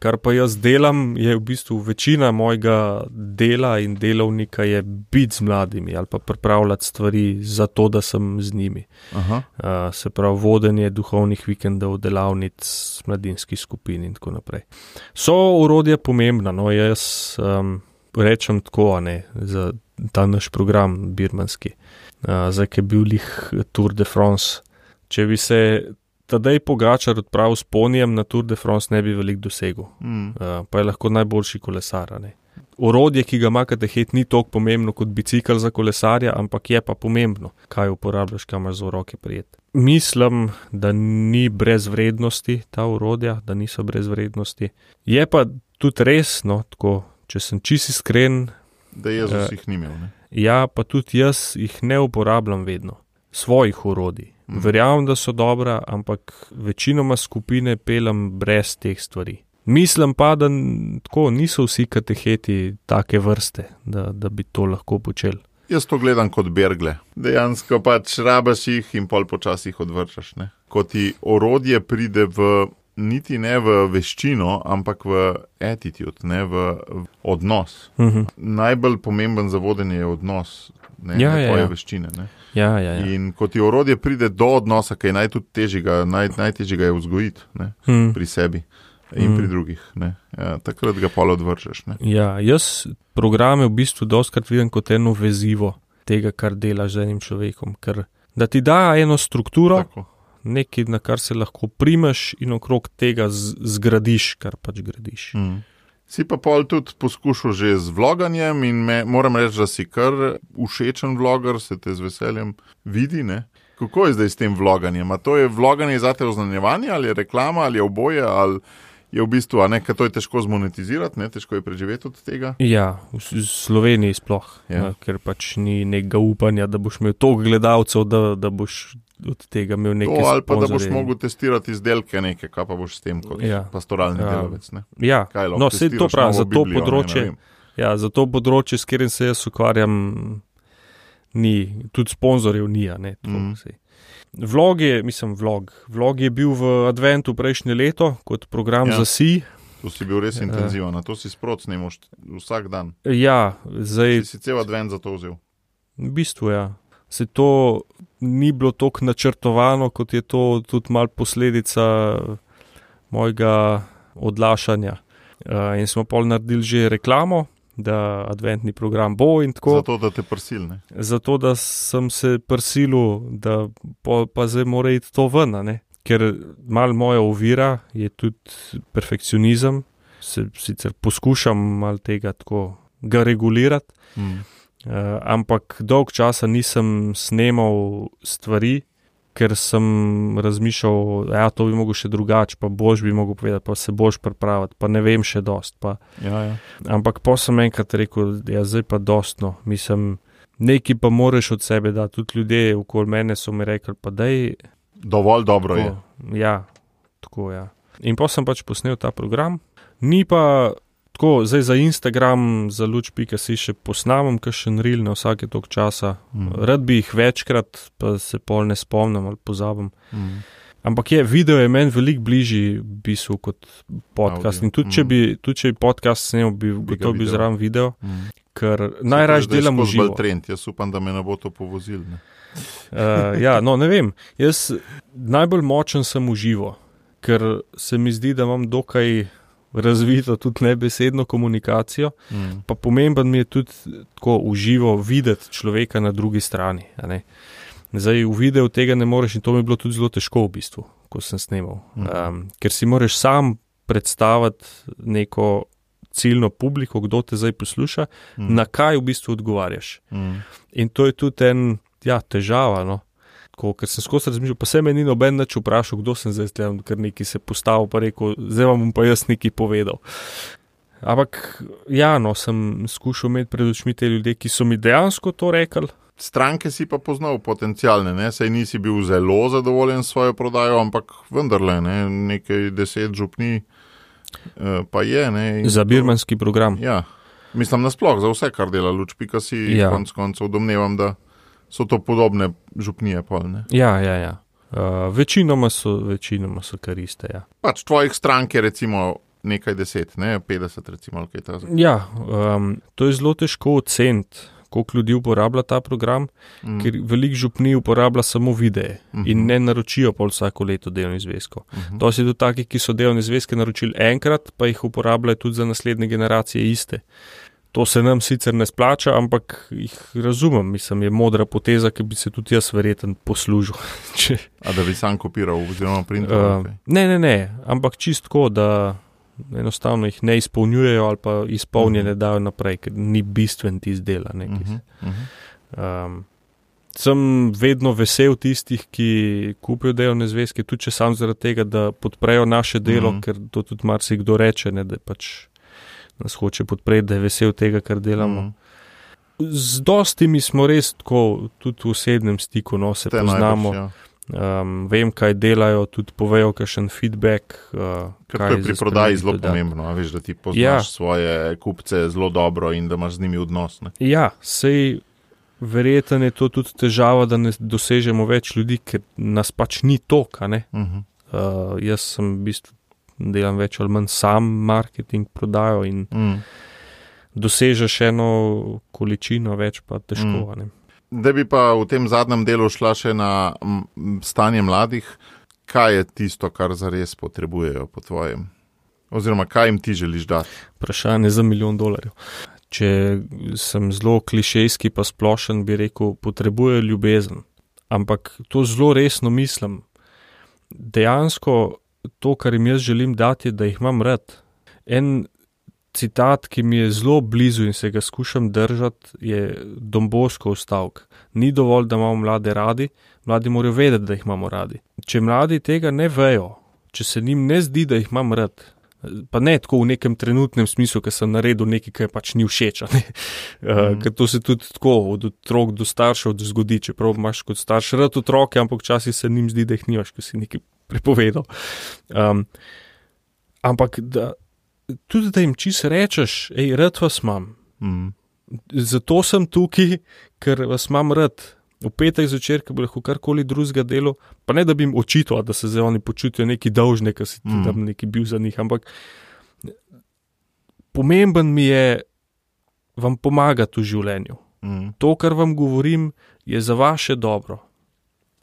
kar pa jaz delam, je v bistvu večina mojega dela in delovnika je biti z mladimi ali pa pripravljati stvari za to, da sem z njimi. Se pravi, vodenje duhovnih vikendov, delavnic, mladinskih skupin in tako naprej. So orodje pomembna, no, jaz rečem tako, za ta naš program birmanski, zdaj, ki je bil lih Tour de France. Če bi se Tadej Pogačar odpravil s ponijem na Tour de France, ne bi veliko dosegel. Pa je lahko najboljši kolesar, ne. Orodje, ki ga ima katehet, ni toliko pomembno kot bicikel za kolesarja, ampak je pa pomembno, kaj uporabljaš, kaj imaš za roke prijeti. Mislim, da ni brez vrednosti ta orodja, da niso brez vrednosti. Je pa tudi res, no, tako, če sem čisto iskren, da Jezus jih ni imel, ne? Ja, pa tudi jaz jih ne uporabljam vedno. Svojih orodij. Verjamem, da so dobra, ampak večinoma skupine pelem brez teh stvari. Mislim pa, da tako niso vsi kateheti take vrste, da bi to lahko počeli. Jaz to gledam kot bergle. Dejansko pač rabaš jih in pol počasih odvrčaš, ne? Ko ti orodje pride niti ne v veščino, ampak v attitude, ne, v odnos. Najbolj pomemben za vodenje je odnos, ne tvoje veščine, ne. In ko ti orodje pride do odnosa, kaj najtežjega je vzgojiti, ne, pri sebi in pri drugih, ne. Takrat ga pol odvržeš, ne. Jaz programe v bistvu dostikrat vidim kot eno vezivo tega, kar delaš z enim človekom, ker da ti da eno strukturo, nekaj, na kar se lahko primeš in okrog tega zgradiš, kar pač gradiš. Si pa pol tudi poskušal že z vloganjem in moram reči, da si kar všečen vloger, se te z veseljem vidi, ne? Kako je zdaj s tem vloganjem? A to je vloganje zate oznanjevanje, ali je reklama, ali je oboje, ali je v bistvu, ker to je težko zmonetizirati, ne? Težko je preživeti od tega? Ja, v Sloveniji sploh, ker pač ni nekega upanja, da boš imel toliko gledalcev, da boš od tega imel nekaj sponzorjev. Ali pa da boš mogel testirati izdelke nekaj, kaj pa boš s tem kot pastoralni delavec, ne? Ja, no, sej to prav, za to področje, za to področje, s katerim se jaz ukvarjam, ni, tudi sponzorjev ni, ne, Vlog je bil v adventu prejšnje leto, kot program za SI. To si bil res intenziven, to si sprot snemal vsak dan. Ja, zdaj... Si cel advent za to vzel? V bistvu, Se to ni bilo toliko načrtovano, kot je to tudi malo posledica mojega odlašanja. In smo pol naredili že reklamo, da adventni program bo in tako. Zato, da te prsil, ne? Zato, da sem se prsilil, da pa zdaj mora iti to ven, ne? Ker malo moja ovira je tudi perfekcionizem. Sicer poskušam malo tega tako ga regulirati, ampak dolg časa nisem snemal stvari, ker sem razmišljal, to bi mogel še drugače, pa boš bi mogel povedati, pa se boš pripraviti, pa ne vem še dost. Ampak pa sem enkrat rekel, zdaj pa dostno, mislim, nekaj pa moraš od sebe dati, tudi ljudje okoli mene so mi rekli, pa daj... Dovolj dobro je. Ja, tako, In pa sem pač posnel ta program, ni pa... Tako, zdaj za Instagram, za luč.si še posnamem kakšen reel na vsake toliko časa. Rad bi jih večkrat, pa se pol ne spomnim ali pozabim. Ampak video je meni veliko bližji v bistvu kot podcast. In tudi če bi podcast snel, bi to bil zraven video, ker najraje delam v živo. Jaz upam, da me ne bo to povozil. Ne vem. Jaz najbolj močen sem v živo, ker se mi zdi, da imam dokaj razvito tudi nebesedno komunikacijo, pa pomemben mi je tudi tako v živo videti človeka na drugi strani. Zdaj v videu tega ne moreš in to mi je bilo tudi zelo težko v bistvu, ko sem snemal. Ker si moraš sam predstaviti neko ciljno publiko, kdo te zdaj posluša, na kaj v bistvu odgovarjaš. In to je tudi težava, ker sem skozi razmišljal, pa se me ni noben nič vprašal, kdo sem zdaj, ker neki se postavil, pa rekel, zdaj vam bom pa jaz nekaj povedal. Ampak, sem skušal imeti pred očmi te ljudje, ki so mi dejansko to rekli. Stranke si pa poznal potencialne, saj nisi bil zelo zadovoljen s svojo prodajo, ampak vendarle, nekaj 10 župni pa je. Za birmanski program. Ja, mislim nasploh, za vse, kar dela luč.si, konec koncev domnevam, da so to podobne župnije pol, ne? Ja. Večinoma so kar iste, Pač tvojih strank je recimo nekaj 10, 50 recimo, ali kaj takega. Ja, to je zelo težko oceniti, koliko ljudi uporablja ta program, ker veliko župni uporablja samo videe in ne naročijo pol vsako leto delovnih zvezkov. To si tudi taki, ki so delovne zvezke naročili enkrat, pa jih uporabljajo tudi za naslednje generacije iste. To se nam sicer ne splača, ampak jih razumem, mislim, je modra poteza, ki bi se tudi jaz verjetno poslužil. A da bi sam kopiral oziroma printal? Ne, ampak čistko, da enostavno jih ne izpolnjujejo ali pa izpolnjene dajo naprej, ker ni bistven tisti dela. Sem vedno vesel tistih, ki kupijo delovne zvezke, tudi če sam zaradi tega, da podprejo naše delo, ker to tudi marsikdo reče, da pač nas hoče podpreti, da je vesel tega, kar delamo. Z dostimi smo res tako, tudi v osebnem stiku, se poznamo. Vem, kaj delajo, tudi povejo kakšen feedback. Ker to je pri prodaji zelo pomembno, veš, da ti poznaš svoje kupce zelo dobro in da imaš z njimi odnos. Ne? Ja, sej verjetno je to tudi težava, da ne dosežemo več ljudi, ker nas pač ni toliko, ne? Jaz sem v bistvu delam več ali manj sam marketing, prodajo in dosežeš eno količino več, pa težko. Da bi pa v tem zadnjem delu šla še na stanje mladih, kaj je tisto, kar zares potrebujejo po tvojem? Oziroma, kaj jim ti želiš dati? Vprašanje za $1 milijon. Če sem zelo klišejski pa splošen, bi rekel, potrebujejo ljubezen. Ampak to zelo resno mislim. dejansko to, kar jim jaz želim dati, je, da jih imam rad. En citat, ki mi je zelo blizu in se ga skušam držati, je Don Boscov stavek. Ni dovolj, da imamo mlade radi, mladi morajo vedeti, da jih imamo radi. Če mladi tega ne vejo, če se njim ne zdi, da jih imam rad, pa ne tako v nekem trenutnem smislu, ker sem naredil nekaj, kar pač ni všeč. Ker to se tudi tako od otrok do staršev zgodi, čeprav imaš kot starš rad otroke, ampak včasih se njim zdi, da jih nimaš, ker si nekaj prepovedal. Ampak tudi da jim čisto rečeš, rad vas imam. Zato sem tukaj, ker vas imam rad. V petek zvečer, ko bi lahko karkoli drugega delo, pa ne da bi jim očital, da se zdaj oni počutijo neki dolžni, ker si tam neki bil za njih, ampak pomemben mi je vam pomagati v življenju. To, kar vam govorim, je za vaše dobro.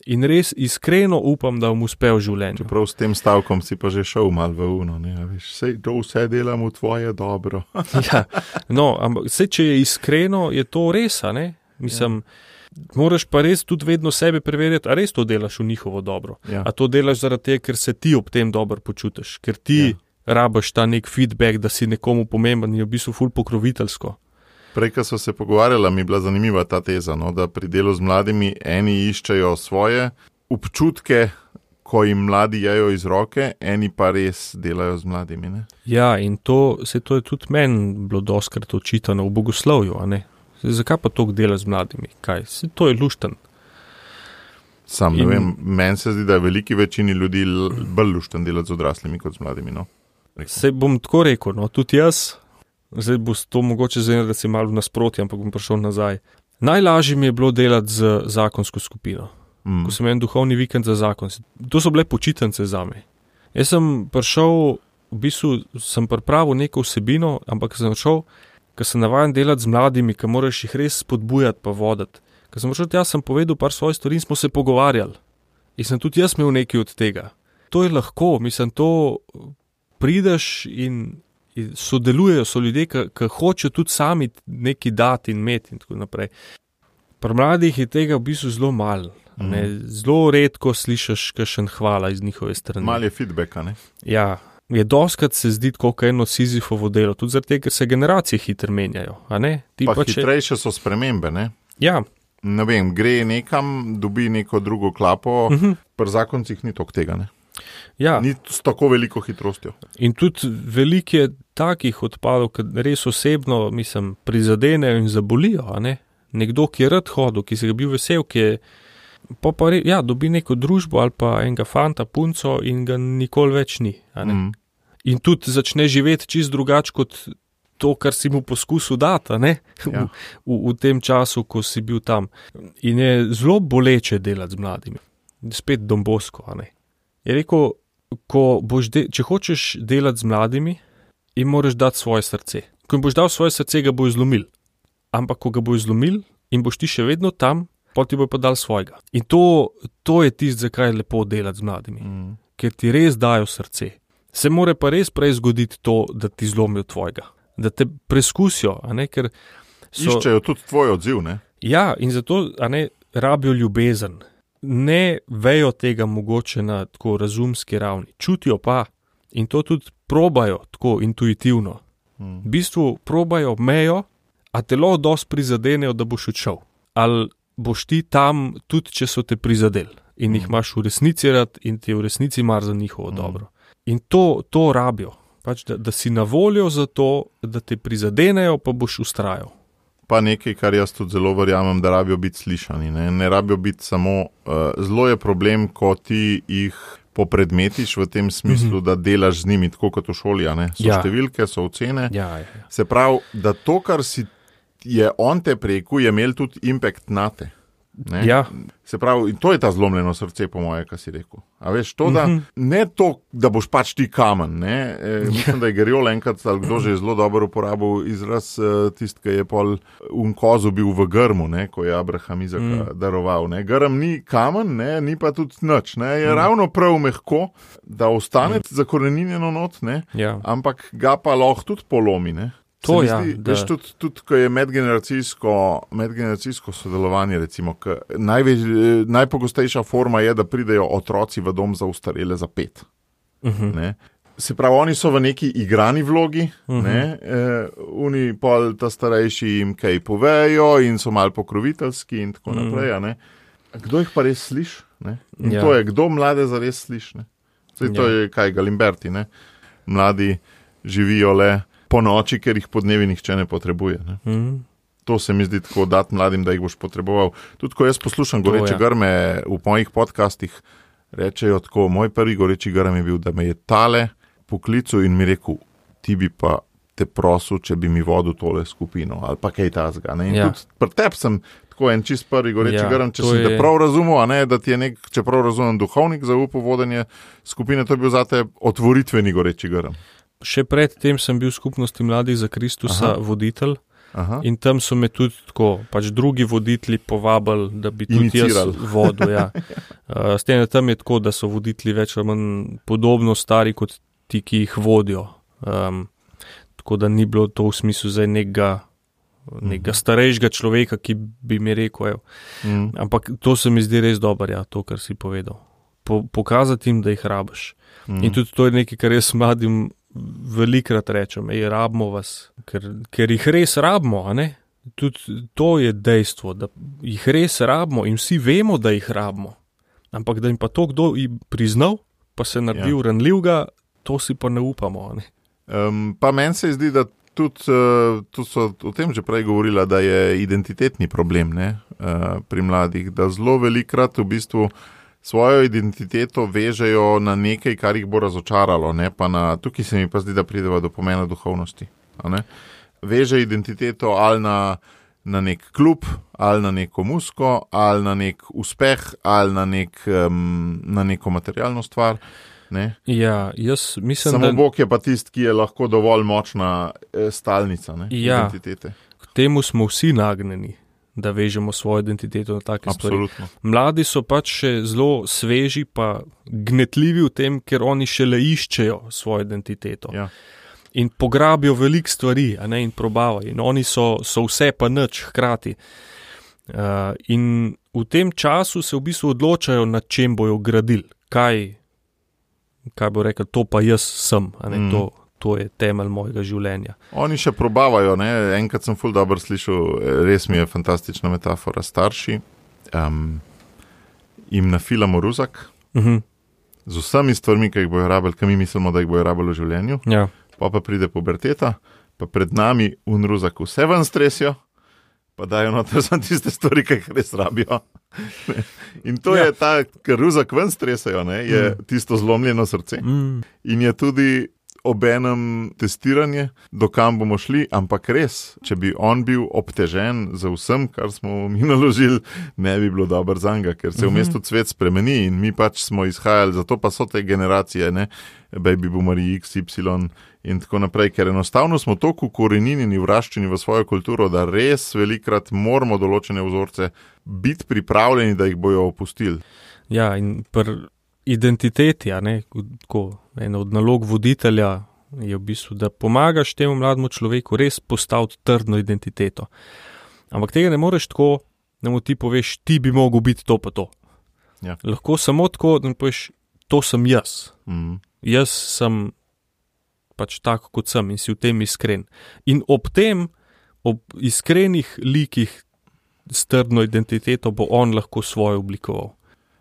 In res iskreno upam, da vam uspe v življenju. Čeprav s tem stavkom si pa že šel malo v uno, ne, veš, sej to vse delam v tvoje dobro. Ja, no, ampak sej, če je iskreno, je to res, ne? Mislim, moraš pa res tudi vedno sebe preverjati, a res to delaš v njihovo dobro. Ja. A to delaš zaradi tega, ker se ti ob tem dobro počutiš, ker ti rabaš ta nek feedback, da si nekomu pomemben in je v bistvu ful pokroviteljsko. Prej, ko so se pogovarjala, mi je bila zanimiva ta teza, no, da pri delu z mladimi eni iščejo svoje občutke, ko jim mladi jejo iz roke, eni pa res delajo z mladimi. Ne? Ja, in to je tudi meni bilo dostkrat očitano v bogoslovju, a ne? Zakaj pa toliko dela z mladimi? Kaj? To je lušten. Ne vem, meni se zdi, da je veliki večini ljudi bolj lušten delati z odraslimi kot z mladimi. No? Se bom tako rekel, no, tudi jaz, zdaj bo to mogoče zdaj, da si malo v nasprotju, ampak bom prišel nazaj. Najlažje mi je bilo delati z zakonsko skupino. Ko sem en duhovni vikend za zakon. To so bile počitnice zame. Jaz sem prišel, v bistvu sem pripravil neko vsebino, ampak sem šel, ker sem navajen delati z mladimi, ker moraš jih res spodbujati pa voditi. Ker sem prišel, sem povedal par svojih stvari in smo se pogovarjali. In sem tudi jaz imel nekaj od tega. To je lahko, mislim, to prideš in sodelujejo, so ljudje, ki hočejo tudi sami nekaj dati in imeti in tako naprej. Pri mladih je tega v bistvu zelo malo. Zelo redko slišiš kakšen hvala iz njihove strani. Malo je feedbacka, ne? Ja. Je doskrat se zdi tako eno Sizifovo delo, tudi zaradi tega, ker se generacije hitro menjajo. A ne? Pa hitrejše so spremembe, ne? Ja. Ne vem, gre nekam, dobi neko drugo klapo, pri zakoncih ni toliko tega, ne? Ja. Ni s tako veliko hitrostjo. In tudi veliko je takih odpadov, ki res osebno, mislim, prizadenejo in zabolijo, a ne? Nekdo, ki je rad hodil, ki se ga bil vesel, ki je dobi neko družbo ali pa enega fanta, punco in ga nikoli več ni. In tudi začne živeti čisto drugače kot to, kar si mu poskusil dati, v tem času, ko si bil tam. In je zelo boleče delati z mladimi. Spet Don Bosco, Je rekel, če hočeš delati z mladimi, jim moraš dati svoje srce. Ko jim boš dal svoje srce, ga bojo zlomil. Ampak ko ga bojo zlomil in boš ti še vedno tam, potem ti bojo pa dal svojega. In to je tisto, zakaj je lepo delati z mladimi. Ker ti res dajo srce. Se more pa res prej zgoditi to, da ti zlomijo tvojega. Da te preskusijo, ker iščejo tudi tvoj odziv, ne? Ja, in zato, rabijo ljubezen. Ne vejo tega mogoče na tako razumski ravni. Čutijo pa in to tudi probajo tako intuitivno. V bistvu probajo mejo, a telo dosti prizadenejo, da boš odšel. Ali boš ti tam, tudi če so te prizadeli in jih imaš v resnici rad in ti v resnici mar za njihovo dobro. In to rabijo, pač, da si na voljo za to, da te prizadenejo, pa boš ustrajal. Pa nekaj, kar jaz tudi zelo verjamem, da rabijo biti slišani. Ne rabijo biti samo, zelo je problem, ko ti jih popredmetiš v tem smislu, da delaš z njimi, tako kot v šoli, So številke, so ocene. Ja. Se pravi, da to, kar je on te preku, je imel tudi impact na te. Ja. Se pravi, in to je ta zlomljeno srce, po moje, kar si rekel. A veš, to, da ne to, da boš pač ti kamen, mislim, da je Geriol enkrat, ali kdo že je zelo dobro uporabil izraz, tisti, ki je pol kozu bil v grmu, ko je Abraham Izaka daroval. Grm ni kamen, ni pa tudi nič, je ravno prav mehko, da ostane zakoreninjeno not, Ja. ampak ga pa lahko tudi polomi, To je. Veš, tudi ko je medgeneracijsko sodelovanje, recimo, najpogostejša forma je, da pridejo otroci v dom za ostarele za 5. Se pravi, oni so v neki igrani vlogi, oni pol ta starejši jim kaj povejo in so malo pokroviteljski in tako naprej. Ne? Kdo jih pa res sliši? In to je, kdo mlade zares sliši? To je kaj, Galimberti, ne? Mladi živijo le po noči, ker jih po dnevi nihče ne potrebuje. Ne? To se mi zdi tako dati mladim, da jih boš potreboval. Tudi ko jaz poslušam goreče grme v mojih podcastih, rečejo tako, moj prvi goreči grm je bil, da me je tale poklical in mi rekel, ti bi pa te prosil, če bi mi vodil tole skupino, ali pa kaj tazga. In tudi pri tebi sem tako en čist prvi goreči grm, če sem te prav razumel, a ne, da ti je če prav razumem, duhovnik zaupal vodenje skupine, to je bil zate otvoritveni goreči grm. Še pred tem sem bil v skupnosti Mladih za Kristusa voditelj. In tam so me tudi tako, pač drugi voditelji povabili, da bi tudi jaz vodil. S tem, da tam je tako, da so voditelji več ali manj podobno stari kot ti, ki jih vodijo. Tako da ni bilo to v smislu zdaj nekega starejšega človeka, ki bi mi rekel. Ampak to se mi zdi res dobro, to, kar si povedal. Pokazati jim, da jih rabiš. In tudi to je nekaj, kar jaz mladim velikrat rečem, rabimo vas, ker jih res rabimo, a ne? Tudi to je dejstvo, da jih res rabimo in vsi vemo, da jih rabimo. Ampak da jim pa to kdo priznal, pa se naredil ranljivega, to si pa ne upamo, a ne? Pa meni se zdi, da tudi so o tem že prej govorila, da je identitetni problem, ne? Pri mladih, da zelo velikrat v bistvu svojo identiteto vežejo na nekaj, kar jih bo razočaralo, ne? Pa tukaj se mi pa zdi, da prideva do pomena duhovnosti. Ne? Veže identiteto ali na nek klub, ali na neko muziko, ali na nek uspeh, ali na neko materialno stvar. Ne? Ja, jaz mislim, samo Bog je pa tisti, ki je lahko dovolj močna stalnica, ne? Identitete. K temu smo vsi nagnjeni, da vežemo svojo identiteto na take stvari. Mladi so pač še zelo sveži pa gnetljivi v tem, ker oni šele iščejo svojo identiteto. In pograbijo veliko stvari, a ne, in probavajo. In oni so vse pa nič hkrati. In v tem času se v bistvu odločajo, nad čem bojo gradili. Kaj bo rekel, to pa jaz sem, a ne, to je temelj mojega življenja. Oni še probavajo, ne, enkrat sem ful dobro slišal, res mi je fantastična metafora, starši jim nafilamo ruzak z vsemi stvarmi, ki jih bojo rabili, ki mi mislimo, da jih bojo rabili v življenju, pa pride puberteta, pa pred nami ruzak vse ven stresijo, pa dajo noter samo tiste stvari, ki jih res rabijo. In to je ta, ker ruzak ven stresajo, ne, je tisto zlomljeno srce. In je tudi obenem testiranje, do kam bomo šli, ampak res, če bi on bil obtežen za vsem, kar smo mi naložili, ne bi bilo dobro zanj, ker se v mestu svet spremeni in mi pač smo izhajali, zato pa so te generacije, ne, baby boomeri X, Y in tako naprej, ker enostavno smo toliko ukoreninjeni, vraščeni v svojo kulturo, da res velikrat moramo določene vzorce biti pripravljeni, da jih bojo opustili. Ja, in identiteti, a ne, tako, ena od nalog voditelja je v bistvu, da pomagaš temu mlademu človeku res postaviti trdno identiteto. Ampak tega ne moreš tako, da mu ti poveš, ti bi mogel biti to pa to. Lahko samo tako, da mu poveš, to sem jaz. Jaz sem pač tako, kot sem in si v tem iskren. In ob iskrenih likih s trdno identiteto bo on lahko svojo oblikoval.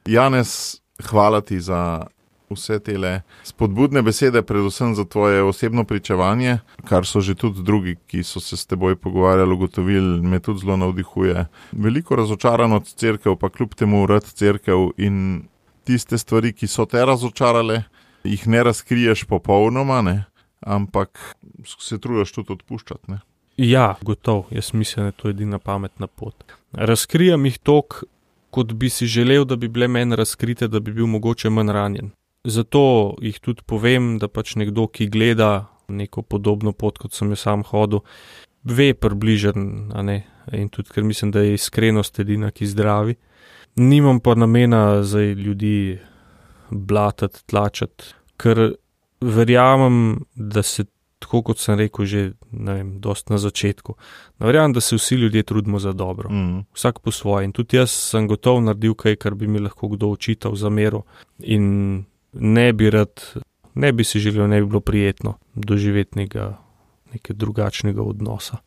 Janez, hvala ti za vse tele spodbudne besede, predvsem za tvoje osebno pričevanje, kar so že tudi drugi, ki so se s teboj pogovarjali, ugotovili, me tudi zelo navdihuje. Veliko razočarano od cerkev, pa kljub temu rad cerkev in tiste stvari, ki so te razočarale, jih ne razkriješ popolnoma, ne, ampak se trudiš tudi odpuščati, ne. Ja, gotovo, jaz mislim, da je to edina pametna pot. Razkrijam jih toliko, kot bi si želel, da bi bile meni razkrite, da bi bil mogoče manj ranjen. Zato jih tudi povem, da pač nekdo, ki gleda neko podobno pot, kot sem jo sam hodil, ve približen, a ne, in tudi, ker mislim, da je iskrenost edina, ki zdravi. Nimam pa namena zdaj ljudi blatati, tlačati, ker verjamem, da se tako kot sem rekel že, dost na začetku. Verjamem, da se vsi ljudje trudimo za dobro. Vsak po svoje. In tudi jaz sem gotov naredil kaj, kar bi mi lahko kdo očital za mero. In ne bi si želel, ne bi bilo prijetno doživeti nekaj drugačnega odnosa.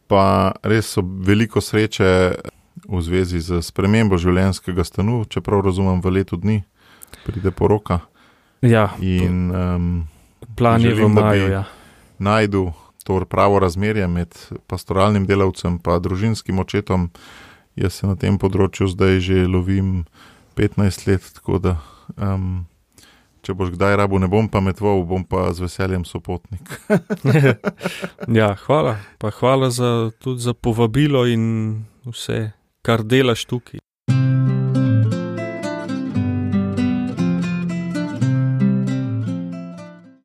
Pa res so veliko sreče v zvezi z spremembo življenjskega stanu, čeprav razumem, v letu dni pride poroka. Ja, in plan je v maju, ja. Najdu to pravo razmerje med pastoralnim delavcem pa družinskim očetom. Jaz se na tem področju zdaj že lovim 15 let, tako da če boš kdaj rabu, ne bom pametoval, bom pa z veseljem sopotnik. Ja, hvala. Pa hvala tudi za povabilo in vse, kar delaš tukaj.